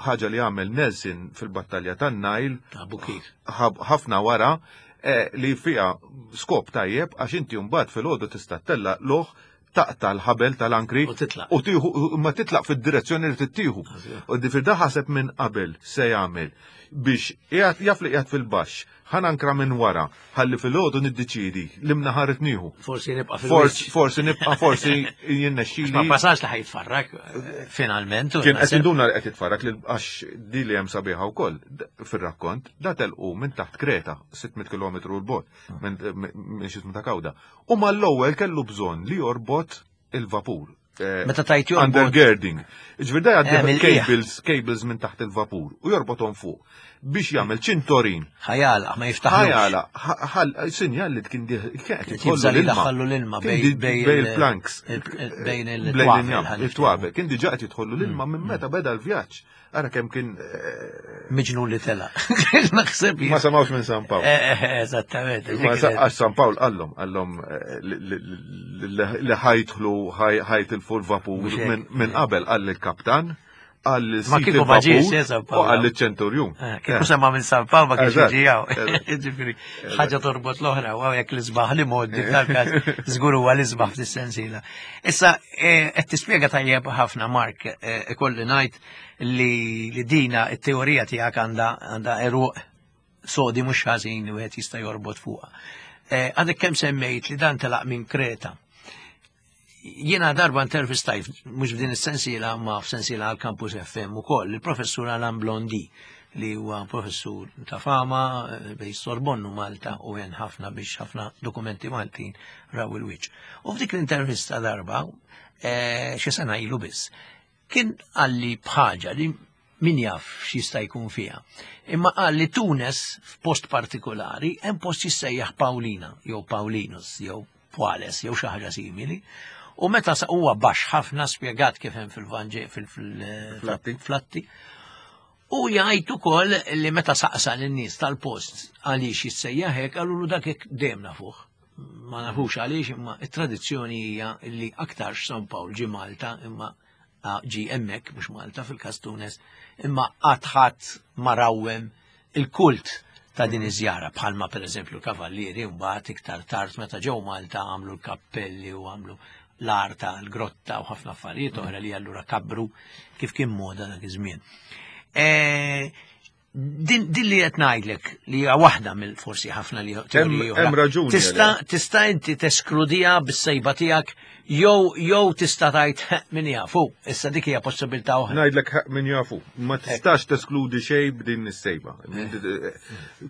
Ħaġa li għamel Nelson fil-battalja tan-Nile Abu kif. ħafna wara, eh, li fija skop tajjeb għax inti mbagħad fil-għodu tista' tella loħ taqta l-ħabel tal-ankri U titlaq. u tieħu, ma titlaq fid-direzzjoni li tittieħu. U difir da ħaseb minn qabel se jagħmel biex qiegħed jaf li qiegħed fil-baxx, ħa nankra minn wara, ħalli fil-għodu niddeċiedi li mnaħar tnieħu. Forsi nibqa' Forsi, fil-wiċċ. forsi nibqa', forsi jinnexxili. Ma passax li ħajtfarrak, eh, finalment. u Kien qed naħseb- induna li qed jitfarrak li għax di li hemm sabiħa wkoll fir-rakkont, da telqu minn taħt Kreta, sitt mitt kilometru l bogħod, minn, minn xi ta' Kawda. U mal-ewwel kellu bżonn li jorbot il-vapur. Eh, Meta tajt jorbot. Undergirding. Ġifieri da jgħaddi Eh, mill-qiegħ. cables, cables minn taħt il-vapur u jorbothom fuq biex jagħmel ċintorin. Ħajala, ma jiftaħlux. Ħajala, ħa-, ħal-, sinjal li kien di-, kien qed Kien jidħollu jibża' li l-ilma. daħħallu l-ilma Kien bej- di- bej bej il- il-planks. il-, il-, bejn Bejn il-twabel, il-njam, ħan il-twabel. Kien diġà qed jidħollu l-ilma minn meta beda l-vjaġġ. Ara kemm kien, eh, Miġnun li tela. Naħseb Ma samawx minn San Pawl. Eh, eh, eżattament. Ma sa-, għax San Pawl qallhom, qallhom, eh, li, li, li, li ħajtħlu, ħaj-, ħajtilfu l-vapur Mhux hekk. minn, minn qabel, qal il-kaptan, qal Ma sid kieku ma ġiex, il-vapur eh, San Pawl. u qal il-ċenturjun. Eh, kieku sema minn San Pawl ma kienx Eżatt, jiġi hawn. eżatt. Ġifieri, ħaġa torbot l-oħra, u hawnhekk l-isbaħ li moddi f'dal-każ, żgur huwa l-isbaħ fis-sensiela. Issa, eh, qed tispjega tajjeb ħafna, Mark, eh, ikolli ngħid li, li dina it-teorija tiegħek għandha, għandha eruq sodi mhux ħażin li wieħed jista' jorbot fuqha. Eh, għadek kemm semmejt li dan telaq minn Kreta. Jiena darba intervistajt, mhux f'din is-sensiela, ma f'sensiela għal Campus F M ukoll, il-professur Alain Blondy, li huwa professur ta' fama, eh, bej Sorbonnu Malta u għen ħafna biex ħafna dokumenti Maltin raw il-wiċċ. U f'dik l-intervista darba, eh, xi sena ilu biss, kien qalli bħaġa li min jaf x'jista' jkun fiha. Imma qal li Tunes f'post partikolari hemm post jissejjaħ Paulina jew Paulinus jew Puales jew xi ħaġa simili. U meta sa huwa baxx ħafna spjegat kif hemm fil-Vanġel, fil-, fil-, Flatti. Flatti. U jgħid ukoll li meta saqsa lin-nies tal-post għaliex jissejjaħ hekk, qalulu dak hekk dejjem nafuh. Ma nafux għaliex, imma it-tradizzjoni hija li aktarx San Pawl ġie Malta, imma ġie hemmhekk mhux Malta fil-każ Tunes, imma qatt ħadd ma rawwem il-kult ta' din iż-żjara, bħalma pereżempju l-kavallieri mbagħad iktar tard meta ġew Malta għamlu l-kappelli u għamlu l-arta, l-grotta u ħafna affarijiet oħra li allura kabru kif kien moda dak iż-żmien. Eh, din, din li qed ngħidlek li hija waħda mill forsi ħafna li teoriji oħra. Hemm raġuni Tista' għalhekk. tista' inti teskludija bis-sejba tiegħek jew, jew tista' tgħid min jafu, issa dik hija possibilità oħra. Ngħidlek min jafu, ma tistax teskludi xejn b'din is-sejba.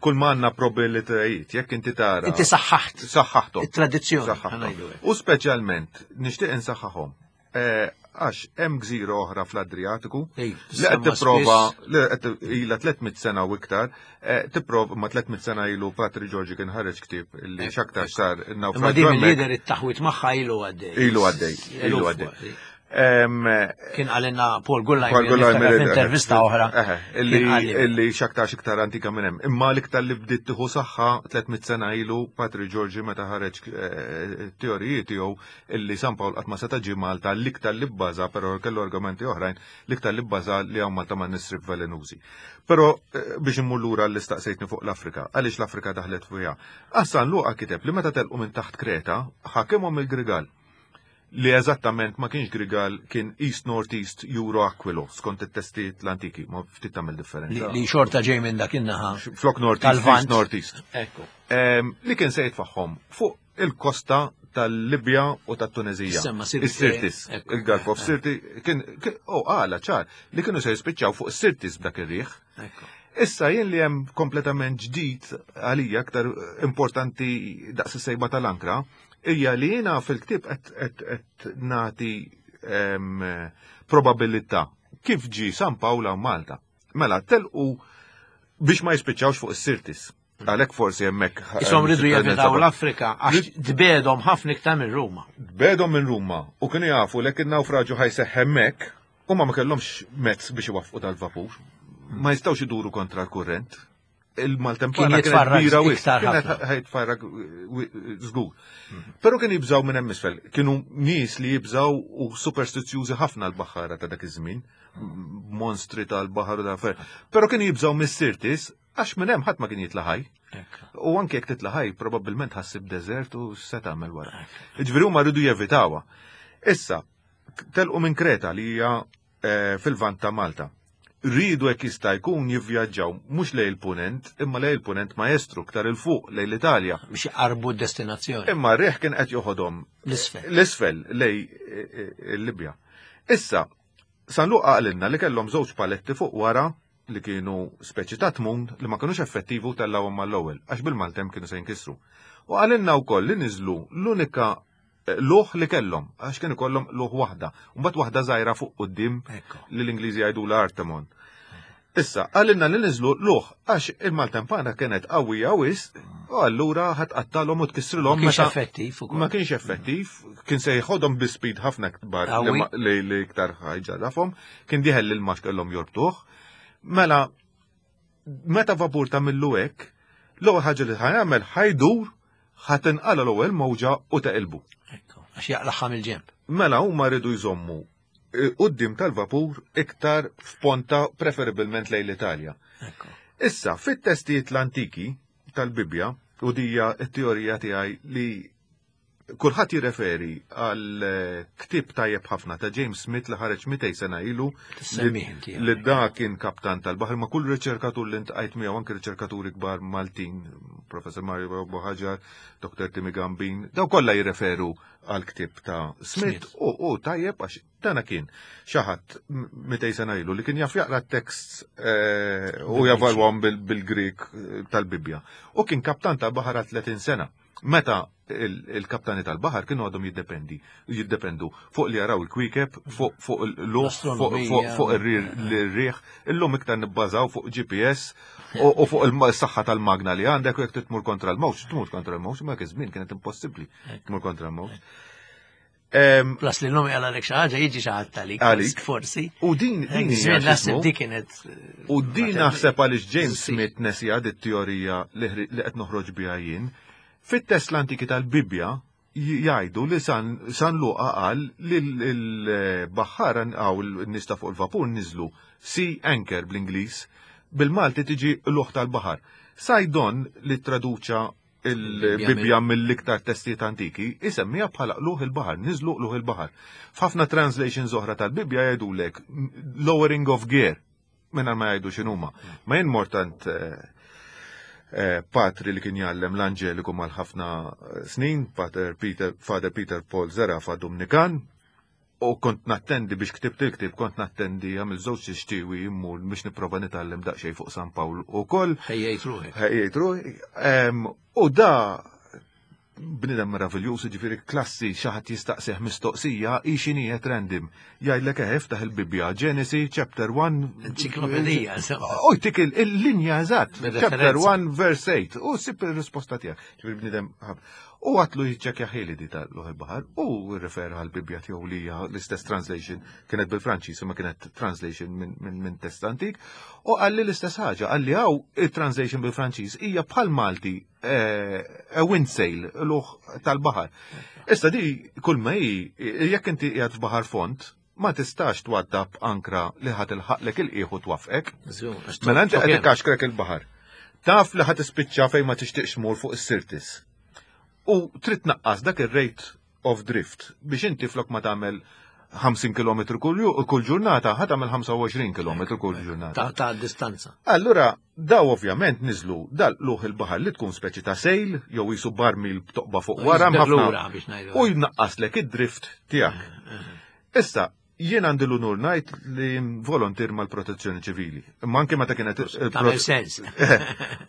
Kull ma għandna probabilitajiet, jekk inti tara. Inti saħħaħt. Saħħaħthom. It-tradizzjoni, Saħħaħthom. ħa ngħidu hekk. U speċjalment nixtieq insaħħaħhom. Eh, għax hemm gżira oħra fl-Adriatiku Ej, li qed tissemma tipprova, spiss. li qed ilha tliet mitt sena u iktar, eh, tipprova ma tliet mitt sena ilu Patri Giorgi kien ħareġ ktieb li Eh, x'aktar sar Imma in-nawfraġġ din hemmhekk. mill-lider it-taħwit magħha ilu għaddej. Ilu għaddej, ilu Eluf għaddej. għaddej. Em, Kien għalinna Paul Gullajmer, Paul Gullajmer, niftakar f'intervista oħra. Eħe, illi Kien għalli. illi x'aktarx iktar antika minn hemm. Imma l-iktar li bdiet tieħu saħħa tliet mitt sena ilu Patri Giorgi meta ħareġ, eh, teoriji tiegħu illi San Pawl qatt ma seta' ġie Malta, l-iktar li bbaża, però kellu argumenti oħrajn, l-iktar li bbaża li hawn Malta ma' nisrib velenużi. Però, eh, biex immur lura li staqsejtni fuq l-Afrika, għaliex l-Afrika daħlet fiha. Għas San Luqa kiteb li meta telqu minn taħt Kreta, ħakimhom il-Grigal. Li eżattament ma kienx Grigal, kien East North East Euro Aquilo, skont it-testijiet l-antiki, ma ftit tagħmel differenza. Li, li xorta ġej minn dak in-naħa. Flok North East, Tal-Lvant. East North East. Ekku. Em, li kien se jitfaħħom fuq il-kosta tal-Libja u tat-Tunezija. Semma Sirti. Is-Sirtis, Ekku. il-Gulf of Sirti, kien, kien, oh, għala ċar, li kienu se jispiċċaw fuq Sirtis b'dak ir-riħ. Ekku. Issa jien li hemm kompletament ġdid għalija aktar importanti daqs is-sejba tal-ankra, hija li jiena fil-ktieb qed, qed, qed nagħti, em, probabilità Kif ġi San Pawl hawn Malta? Mela, telqu biex ma jispiċċawx fuq is-Sirtis. Għalhekk forsi hemmhekk. Isom ridu jevitaw l-Afrika għax tbegħdhom ħafna iktar minn Ruma. Tbegħdhom minn Ruma u kienu jafu li in-nawfraġu ħa jseħħ hemmhekk u ma ma kellhomx mezz biex iwaffqu dal-vapur. Ma jistgħux iduru kontra l-kurrent. Il-maltempana Kien kienet jitfarrak kbira wisq, iktar kienet ħafna. ħa jitfarrak żgur. Però kien jibżaw minn hemm isfel. Kienu nies li jibżaw u superstizjużi ħafna l-baħħara ta' dak iż-żmien, monstri tal-baħar u da' Però kienu jibżaw mis-Sirtis għax minn hemm ħadd ma kien jitla' ħaj. U anke jekk titla' ħaj, probabbilment ħa ssib deżert u se tagħmel wara. Ġifieri huma rridu jevitawha. Issa, telqu minn Kreta li hija eh, fil-vant ta' Malta. Rridu hekk jista' jkun jivvjaġġaw mhux lejn il-punent, imma lejn il-punent maestru ktar 'il fuq lejn l-Italja. Biex jqarbu d-destinazzjoni. Imma r-riħ kien qed joħodhom L-isfel. l-isfel lejn eh, eh, Libja. Issa, San Luqa qalilna li kellhom żewġ paletti fuq wara li kienu speċi ta' tmun li ma kinux effettivu tellawhom mal-ewwel għax bil-maltemp kienu se jinkisru. U qalilna wkoll li niżlu l-unika eh, luħ li kellhom għax kienu kollhom luħ waħda, u mbagħad waħda żgħira fuq quddiem Ekko. li l-Ingliżi jgħidu l-Artemon. Issa, qalilna li niżlu luħ għax il-maltempana kienet qawwija wisq u allura ħa tqattalhom u Ma tkissrilhom kienx meta effettiv ukoll. ma kienx effettiv, kien se jħodhom bi speed ħafna kbar li Qawwi. ma- li li iktar ħa jġarrafhom, kien dieħel li l-max kellhom jorbtuh. Mela, meta vapur tagħmillu hekk, l-ewwel ħaġa li ħa jagħmel ħa jdur ħa tinqala l-ewwel mowġa u teqilbu. Ekko. Għax jaqlaħħa mill-ġemp. Mela huma rridu jżommu eh, quddiem tal-vapur iktar f'ponta preferibilment lejn l-Italja. Ekko. Issa, fit-testijiet l-antiki tal-Bibja, u dija t-teorija tiegħi li kulħadd jirreferi għal eh, ktieb tajjeb ħafna ta' James Smith li ħareġ mitejn sena ilu Tissemmih inti. li da kien kaptan tal-baħar ma' kull riċerkatur li ltqajt miegħu anke riċerkaturi kbar Maltin, Professor Mario Buhagiar, Dottor Timi Gambin, daw kollha jirreferu għal ktieb ta' Smith Smith. u, u tajjeb għax dana kien xi ħadd mitejn sena ilu li kien jaf jaqra t-tekst eh, u javalwhom bil- bil-Grik eh, tal-Bibja. U kien kaptan tal-baħar għal tletin sena. Meta il- il-kaptani tal-baħar kienu għadhom jiddependi, jiddependu fuq li jaraw il-kwikeb, fuq fuq il-luħ, fuq fuq fuq ir-riħ, illum iktar nibbażaw fuq G P S u u fuq il-saħħa tal-magna li għandek u jekk tmur kontra l-mewġ, tmur kontra l-mewġ, ma żmien kienet impossibbli tmur kontra l-mewġ. Em, Plus li l-lum jgħala xi ħaġa jiġi xi ħadd għalik. Għalik. Forsi. U din din hija Żmien naħseb x'ismu, di kienet. eh, U din ma naħseb għaliex James Sì. Smith nesija dit teorija li ħri- li qed noħroġ biha jien. Fit-test l-antiki tal-Bibja j- jgħidu li San, San Luqa qal li l-baħħara għaw l-nies ta' fuq il-vapur niżlu sea anchor bl-Ingliż, bil-Malti tiġi luħ tal-baħar. Saydon li traduċa il-Bibja mill-iktar testijiet antiki, isemmija bħala luħ il-baħar, niżlu luħ il-baħar. F'ħafna translations oħra tal-Bibja jgħidulek lowering of gear, minn ma jgħidu x'inhuma. Ma jien mortant eh, eh, patri li kien jgħallem l-Anġeliku mal-ħafna eh, snin, Pater Peter, Father Peter Paul Zerafa Dominikan, u kont nattendi biex ktibt il-ktib, kont nattendi għamil żewġ xtiewi immur biex nipprova nitgħallem daqsxejn fuq San Pawl u koll. Ħejjejt ruħek. Ħejjejt ruħi. Em, U da bnidem meraviljuż, ġifieri klassi xi ħadd jistaqsih mistoqsija, i xinijiet random. Jgħidlek eh, iftaħ il-Bibja, Genesis chapter one. Enċiklopedija, insomma. U jtik il- il-linja eżatt, Bir-referenza. chapter one verse eight, u sib il-risposta tiegħek. Ġifieri bnidem ħab. U għatlu jiċċekkja ħili di tal-luħ il-baħar u rrefera għal-Bibja tiegħu li hija l-istess translation kienet bil-Franċiż imma kienet translation minn min, min test antik u qalli l-istess ħaġa, qalli hawn il-translation bil-Franċiż hija bħal Malti eh, a windsail, luħ tal-baħar. Issa di kull ma hi jekk inti qiegħed f'baħar font, ma tistax twaddab ankra li ħa tilħaqlek il-qiegħ u twaffqek. Mela inti qed ikkaxkrek il-baħar. Taf li ħa tispiċċa fejn ma tixtieqx tmur fuq is-Sirtis. U trid tnaqqas dak ir-rate of drift biex inti flok ma tagħmel ħamsin kilometru kull ju- kull ġurnata, ħa tagħmel ħamsa u għoxrin kilometru kull ġurnata. Ta' ta' distanza. Allura, daw ovvjament niżlu dal-luħ il-baħar li tkun speċi ta' sail, jew jisu barmil b'toqba fuq wara Jiżdek ħafna lura biex ngħidu. u jnaqqaslek id-drift tiegħek. Issa, jien għandi l-unur ngħid li volontier mal-protezzjoni ċivili. Ma anke meta kienet il- Tagħmel sens.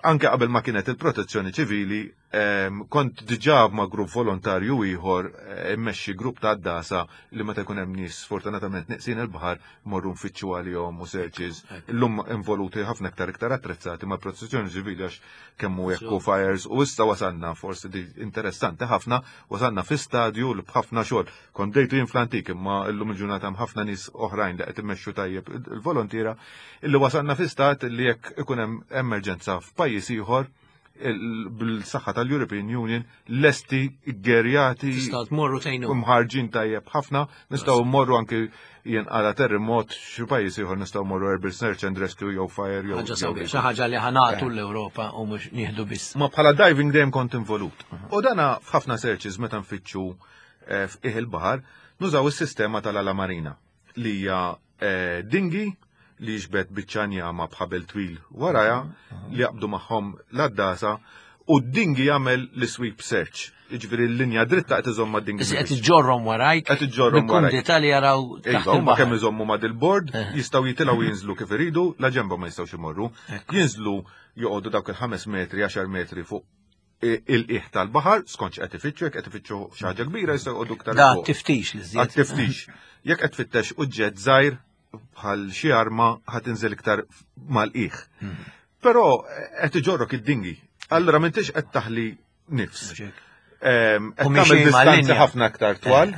Anke qabel ma kienet il-protezzjoni ċivili, Em, Kont diġà ma' grupp volontarju ieħor eh, immexxi grupp ta' għaddasa li meta jkun hemm nies sfortunatament neqsin il-baħar morru nfittxu għalihom u searches. Illum involuti ħafna iktar iktar attrezzati ma' protezzjoni ċivili għax kemm hu jekku fires u issa wasalna, forsi di interessanti ħafna, wasalna fi stadju li b'ħafna xogħol. Kont bdejtu jien fl-antik, imma illum il-ġurnata hemm ħafna nies oħrajn li qed immexxu tajjeb il-volontiera, illi wasalna fi stat li jekk ikun hemm emerġenza f'pajjiż ieħor, il- bil-saħħa tal-European Union lesti ggerjati Tistgħu tmorru tgħinu. Mħarġin tajjeb ħafna, nistgħu mmorru anki jenqala terremot xi pajjiż ieħor, nistgħu mmorru Urban Search and Rescue jew Fire jew Ħaġa jew sabiħ, dik. xi ħaġa li ħa nagħtu l-Ewropa u mhux nieħdu biss. Ma bħala diving dejjem kont involut. U dana f'ħafna searches meta nfittxu eh, f'qiegħ il-baħar nużaw is-sistema tal-ala marina li hija eh, dinghy li jiġbed biċċa njama b'ħabel twil waraja li jaqbdu magħhom l-għaddasa u d-dinghy jagħmel l-sweep search. Jiġifieri l-linja dritta qed iżomm mad-dinghy. Isi qed iġġorrhom warajk. Qed iġġorrhom warajk. Bil-kumdità li jaraw taħt Iva, huma kemm il-baħar. iżommu ma' dil-board, jistgħu jitilgħu jinżlu kif iridu, la ġemba ma jistgħux imorru. Jinżlu, joqogħdu dawk il-ħames metri, għaxar metri fuq i- il-qiegħ tal-baħar, skont x'qed ifittxu, jekk qed ifittxu xi ħaġa kbira jistgħu joqogħdu iktar Da fuq. tiftix li żjed. Għat-tiftix. Jekk qed tfittex oġġett żgħir bħal xi arma, ħa tinżel iktar mal-qiegħ. Però eh, qed iġorrok id-dinghy. Allura m'intix qed taħli nifs. Em, Qed U tagħmel miexi distanzi mal-linja. ħafna aktar twal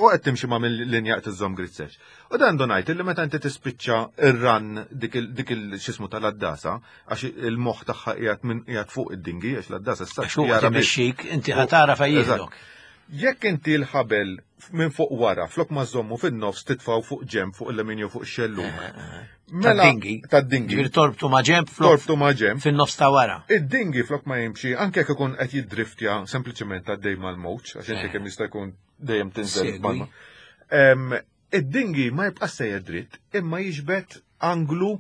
u qed timxi ma' mill-linja, qed iżżomm grid search. U dan ndunajt illi meta inti tispiċċa ir-run dik il dik il x'ismu tal-għaddasa, għax il-moħħ tagħha qiegħed minn qiegħed fuq id-dinghy, għax l-għaddasa issa Għax huwa jara biss. timexxik, inti ħa tara fejn jieħdok. Jekk inti l-ħabel minn fuq wara, flok ma żommu fin-nofs, titfaw fuq ġemb, fuq il-lemin jew fuq xellug. Mela, Tad-dinghy. Tad-dinghy. Ġifieri torbtu ma' ġemb flok Torbtu ma' ġemb. fin-nofs ta' wara. Id-dinghy flok ma jimxi, anke jekk ikun qed jiddriftja sempliċement għaddej mal-mowġ, għax inti kemm jista' jkun dejjem tinżel Segwi. mal. Em, Id-dinghy ma jibqa' sejjer dritt, imma jiġbed anglu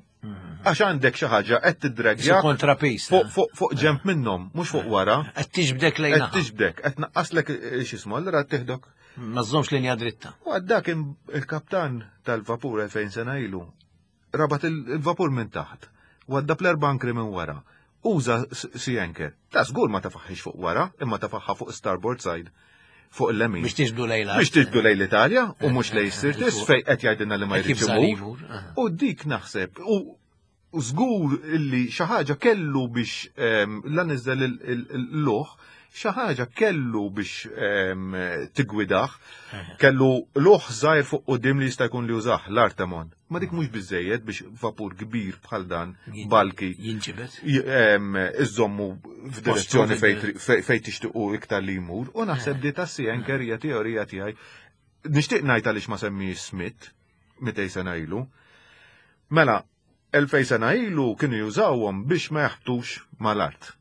għax għandek xi ħaġa qed Su tiddragja kontrapis. fuq fuq fuq ġemb minnhom, mhux fuq wara. Qed tiġbdek Qed lejna. tiġbdek, qed naqqaslek eh, x'ismu, allura tieħdok. Ma żżommx linja dritta. U għadda kien il-kaptan tal-vapur elfejn sena ilu. Rabat il- il-vapur minn taħt. Għadda bl-erba' ankri minn wara. Uża s- sea anchor. Ta' żgur ma tafaħħix fuq wara, imma tafaħħa fuq starboard side, fuq il-lemin. Biex tiġbdu lejla. Biex tiġbdu lejn l-Italja u mhux lejn Sirtis fej qed jgħidilna li ma Kif jridx żar imur. imur. Aha. U dik naħseb, u u żgur illi xi ħaġa kellu biex em, la niżel il-luħ, xi ħaġa kellu biex em, tigwidah, kellu luħ żgħir fuq quddiem li jista' jkun li użah l-Artemon. Ma dik mhux biżejjed biex vapur kbir bħal dan, bulky, Jinġibed. j- em, iżommu f'direzzjoni Postu fej tri- fej fej tixtiqu iktar li jmur, u naħseb di ta' sea anchor hija teorija tiegħi. Nixtieq ngħid għaliex ma semmi Smith mitejn sena ilu. Mela, elfejn sena ilu kienu jużawhom biex ma jaħbtux mal-art.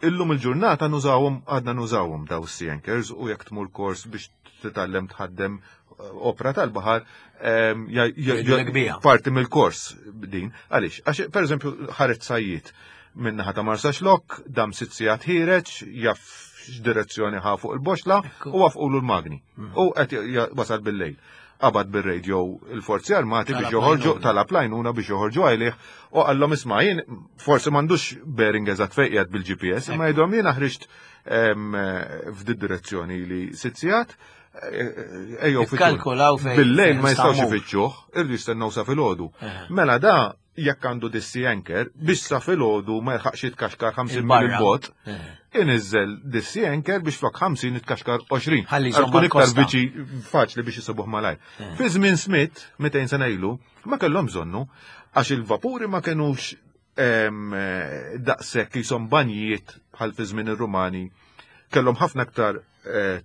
Illum il-ġurnata nużawhom, għadna nużawhom daw sea anchors, u jekk tmur kors biex titgħallem tħaddem eh, opra tal-baħar, em, ja- ja- Jgħidulek biha. parti mill-kors din. Għaliex? Għax per eżempju ħareġ sajjiet minnaħa ta' Marsaxlokk, dam sitt sigħat ħiereġ, jaf x'direzzjoni ħa fuq il-boxla Ekku. u wafqulu l-magni. U qed ja- wasal bil-lejl. Qabad bil-radio il-forzi armati biex Talab joħorġu, l-għajnuna. talab l-għajnuna biex joħorġu għalih u qallhom, isma', jien forsi m'għandux bearing eżatt fejn qiegħed bil-G P S, imma jgħidhom jiena ħriġt em, f'di direzzjoni li sitt sigħat, ejjew fittxuni. Ikkalkulaw fejn- Bil-lejl ma fejn jistgħux stamur. ifittxuh, irridu jistennew sa filgħodu. Eħe. Mela da jekk għandu dis-sea anchor biex sa filgħodu ma jilħaqx jitkaxkar ħamsin mil Il-barra. bot, Eħe. iniżel dis-sea anchor biex flok ħamsin jitkaxkar għoxrin. Ħalli Għal jżomm tkun iktar mal-kosta. viċi faċli biex jisibuh malajr. Fi żmien Smith, mitejn sena ilu, ma kellhom bżonnu għax il-vapuri ma kenux em, eh, daqshekk jisom banjijiet bħal fi żmien ir-Rumani. Kellhom ħafna aktar eh,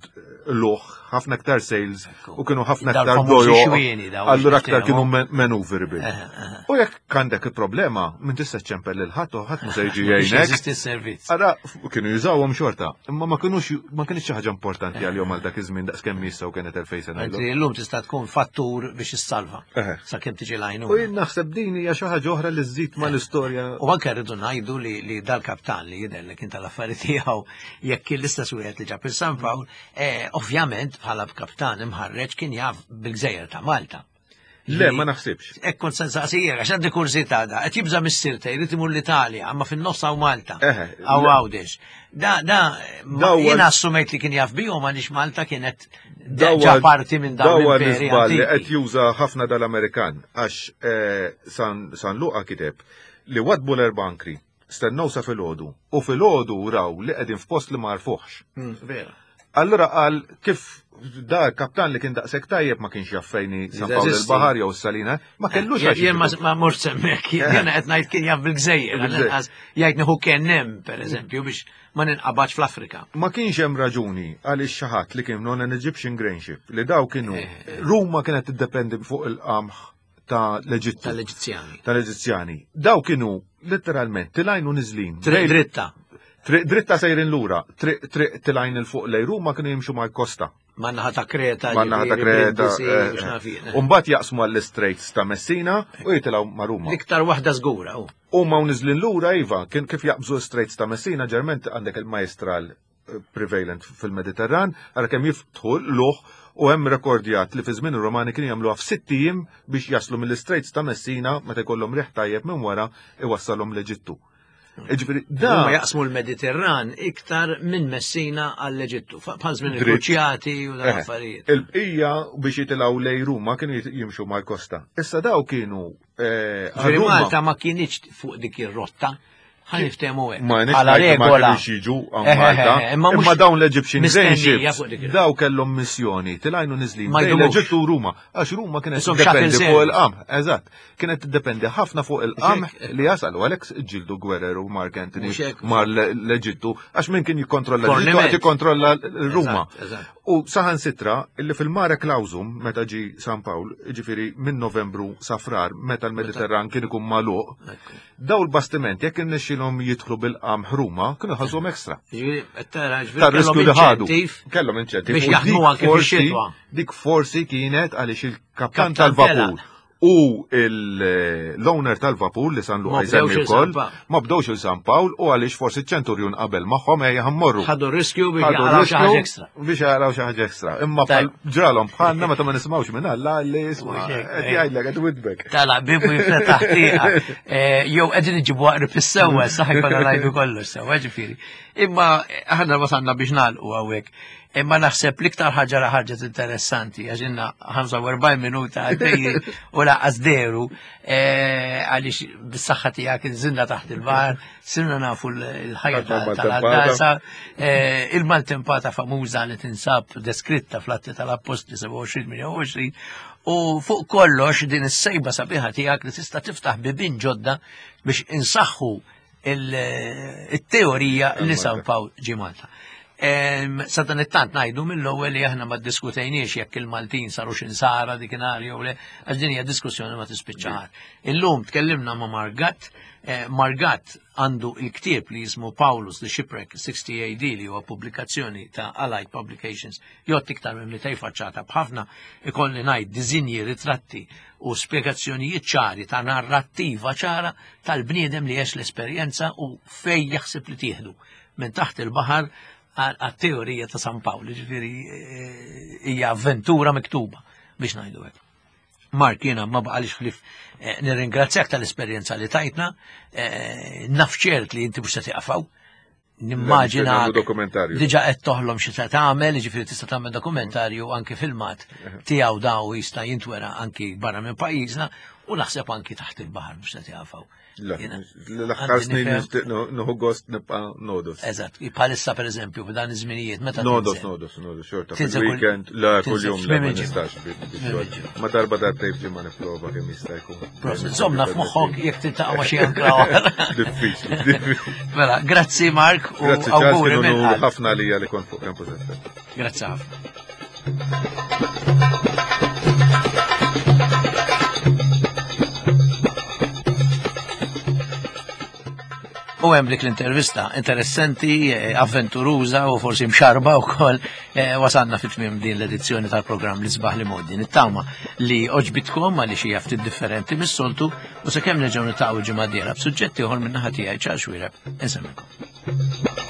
luħ, ħafna aktar sails u kienu ħafna Dawn aktar famużi dojo. xwieni dawn Allura aktar niftehmu. kienu men- maneuverable. U jekk għandek il-problema, minn tista' ċempel lil ħadd u ħadd mhu se jiġi Biex jgħinek. jeżisti s-servizz. Ara, kienu jużawhom xorta, imma ma kienux ma kienx xi ħaġa importanti għalihom għal dak iż-żmien daqs kemm issa u kienet elfejn sena ilu. Mentri llum tista' tkun fattur biex issalva. Eħe. Sakemm tiġi U l-għajnuna. jien naħseb din hija xi ħaġa oħra li żżid mal-istorja. U anke rridu ngħidu li, li dal-kaptan li jidher li kien tal-affari tiegħu, jekk kien l-istess wieħed li ġab il-San Pawl, eh, ovvjament bħala kaptan imħarreġ kien jaf bil-gżejjer ta' Malta. Le, ma naħsibx. Hekk kont se nsaqsijek, għax għandi kurżità da, qed jibża' mis-Sirte, jrid imur l-Italja, imma fin-nofs hawn Malta. Eħe, Hawn le. Għawdex. Da, da, ma- Dawa- jiena assumejt li kien jaf bihom għaliex Malta kienet Dawa- ġa parti minn dawn Dawa l-imperi l-iżball li qed antiki. juża ħafna dal-Amerikan għax eh, San, San Luqa kiteb li wadbu l-erba' ankri, stennew sa filgħodu u filgħodu raw li qegħdin f'post li ma għarfuhx. Mm, Vera. Allura qal kif da kaptan li kien daqshekk tajjeb ma kienx jaf fejn hi San Pawl Jeżisti. il-Baħar jew s-Salina, ma kellux Jien għax jien ma jiġibu. ma mort semmek, jiena qed ngħid kien jaf bil-gżejjer, Bil-gżejjer. għall-inqas jgħidni hu kien hemm, pereżempju, biex ma ninqabadx fl-Afrika. Ma kienx hemm raġuni għaliex xi ħadd li kien non an Egyptian grain ship li daw kienu Ruma kienet tiddependi fuq il-qamħ ta' l-Eġittu. Tal-Eġizzjani. Tal-Eġizzjani. Daw kienu letteralment tilgħin u niżlin. Triq dritta. Triq dritta sejrin lura, triq triq tilgħin 'il fuq lejn Ruma kienu jimxu mal-kosta. Man-naħa ta' Kreta, Man-naħa ta' ġifieri, Kreta. Brindisi, eh, u x'naf jien. U mbagħad jaqsmu għall-Straits ta' Messina u jitilgħu ma' Ruma. L-iktar waħda żgura, u. U ma' niżlin lura iva, kien kif jaqbżu Straits ta' Messina, ġerment għandek il-majestral eh, prevalent fil-Mediterran, għara kemm jiftħu l-luħ u hemm rekordjat li fi żmien ir-Romani kienu jagħmluha f'sitt ijiem biex jaslu mill-Straits ta' Messina meta jkollhom riħ tajjeb minn wara iwassalhom l-Eġittu. Ġifieri da Huma jaqsmu l-Mediterran iktar minn Messina għall-Eġittu, fa- bħal żmien Dritt. il-Kruċjati u dan Eh, affarijiet. Il-bqija biex jitilgħu lejn Ruma kienu jit- jimxu mal-kosta. Issa daw kienu eh, Ġifieri għal Ruma- Malta ma kienx fuq dik ir-rotta, ħa niftehmu hekk. Ma nix Bħala ngħid ma regola. kienux jiġu għan Eh, eh, Malta. eh, imma mhux Imma dawn l-Egyptian grain mistennija ships, fuq dik ir- daw kellhom missjoni, tilgħin u niżlin. Ma Bejn jdumux. l-Eġittu u Ruma, għax Ruma kienet Isom tiddependi shuttle fuq service. il-qamħ, eżatt. Kienet tiddependi ħafna fuq il-qamħ li jasal, u għalhekk ġildu gwerer u Mark Anthony Mhux hekk. mar l-Eġittu, għax min kien jikkontrolla l-Eġittu Forniment. qed jikkontrolla l-Ruma. Eżatt, eżatt. U saħan sitra, illi fil-Mare Clausum, meta ġi San Pawl, ġifieri minn Novembru sa Frar, meta l-Mediterran kien ikun magħluq, Ekku. daw l-bastiment jekk irnexxilhom jidħlu bil-qamħ Ruma, kienu ħallsuhom ekstra. Ġifieri, qed tara, ġifieri Ta' riskju kellhom li ħadu. inċentiv Kellhom inċentiv. biex U jaħdmu dik anke forsi- fix-xitwa. Dik forsi kienet għaliex il-kaptan Kaptan tal-vapur telaq. u il- l-owner tal-vapur li San Ma Luqa jsemmi bdewx il wkoll, San Pawl. ma bdewx il San Pawl u għaliex forsi ċ-ċenturjun qabel magħhom ejja ħa mmorru. Ħadu riskju biex Ħadu jaqraw xi ħaġa riskju ekstra. Biex jaqraw xi ħaġa ekstra. Imma Tajb. bħal ġralhom bħalna meta ma nisimgħux minn Alla li isma' Mhux hekk, qed eh. jgħidlek qed widbek. Tala, bibu jiftaħ tieqa. Eh, Jew qegħdin iġibu aqrib is-sewwa, saħ jkollna ngħidu kollox sewwa, ġifieri. Imma aħna wasalna biex nagħlqu hawnhekk. Imma naħseb l-iktar ħaġa li ħarġet interessanti, għax ilna ħamsa u erbgħin minuta għaddejjin u lanqas dehru, eh, għaliex bis-saħħa tiegħek inżilna taħt il-baħar, sirna nafu l-ħajja Tal- tal-għaddasa, eh, il-maltempata famuża li tinsab deskritta fl-Atti tal-Appostli sebgħa u għoxrin tmienja u għoxrin, u fuq kollox din is-sejba sabiħa tiegħek li tista' tiftaħ bibien ġodda biex insaħħu il-teorija li San Pawl ġie Malta. Em, Sa dan it-tant ngħidu mill-ewwel li aħna ma ddiskutejniex jekk il-Maltin saru x'insara dikinhar jew le, għax din hija diskussjoni ma tispiċċaħar. Illum tkellimna ma' Mark Gatt, eh, Mark Gatt għandu il-ktieb li jismu Paulus the Shipwreck sixty A D li huwa pubblikazzjoni ta' Allied Publications, jgħodd iktar minn mitejn faċċata b'ħafna ikolli ngħid disinji, ritratti u spjegazzjonijiet ċari ta' narrattiva ċara tal-bniedem li għex l-esperjenza u fej jaħseb li tieħdu minn taħt il-baħar għat-teorija ta' San Pawl, ġifieri eh, hija avventura miktuba biex ngħidu hekk. Mark, jiena ma baqalix ħlief eh, nirringrazzjak tal-esperjenza li tajtna, eh, naf ċert li inti mhux se tieqaf hawn. Nimmaġina Nagħmlu dokumentarju. diġà qed toħlom xi se tagħmel, jiġifieri tista' tagħmel dokumentarju anki filmat tiegħu daw jista' jintwera anki barra minn pajjiżna u naħseb anki taħt il-baħar mhux se tieqaf hawn. La, Jiena l-aħħar għandi snin nifhem- nixtieq nieħu gost nibqa' nodos. Eżatt, bħalissa pereżempju f'dan iż-żminijiet meta Nodos, tinżel. nodos, nodos, xorta. Tinżel kull- Fil-weekend, la, tinżel kull-jum, le, tmiem ma il-ġimgħa. nistax bi- Tmiem bix-xogħol. il-ġimgħa. Ma darba darbtejn f'ġimgħa nipprova kemm jista' jkun. Prosit, żommna f'moħħok jekk tiltaqa' ma' xi ankra oħra. Diffiċli, diffiċli. Mela, grazzi Mark u Grazzi Charles, auguri kienu minn unur qalb. ħafna lija li kont fuq Campus F M. Grazzi ħafna. U hemm dik l-intervista interessanti, eh, avventuruża u forsi mxarba wkoll, eh, wasalna fit tmiem din l-edizzjoni tal-programm L-Isbaħ l-Imgħoddi. Nittama li għoġbitkom għaliex hija ftit differenti mis-soltu u sakemm nerġgħu niltaqgħu ġimgħa dieħla b'suġġetti ieħor minn naħa tiegħi Charles Xuereb. Insellmilkom.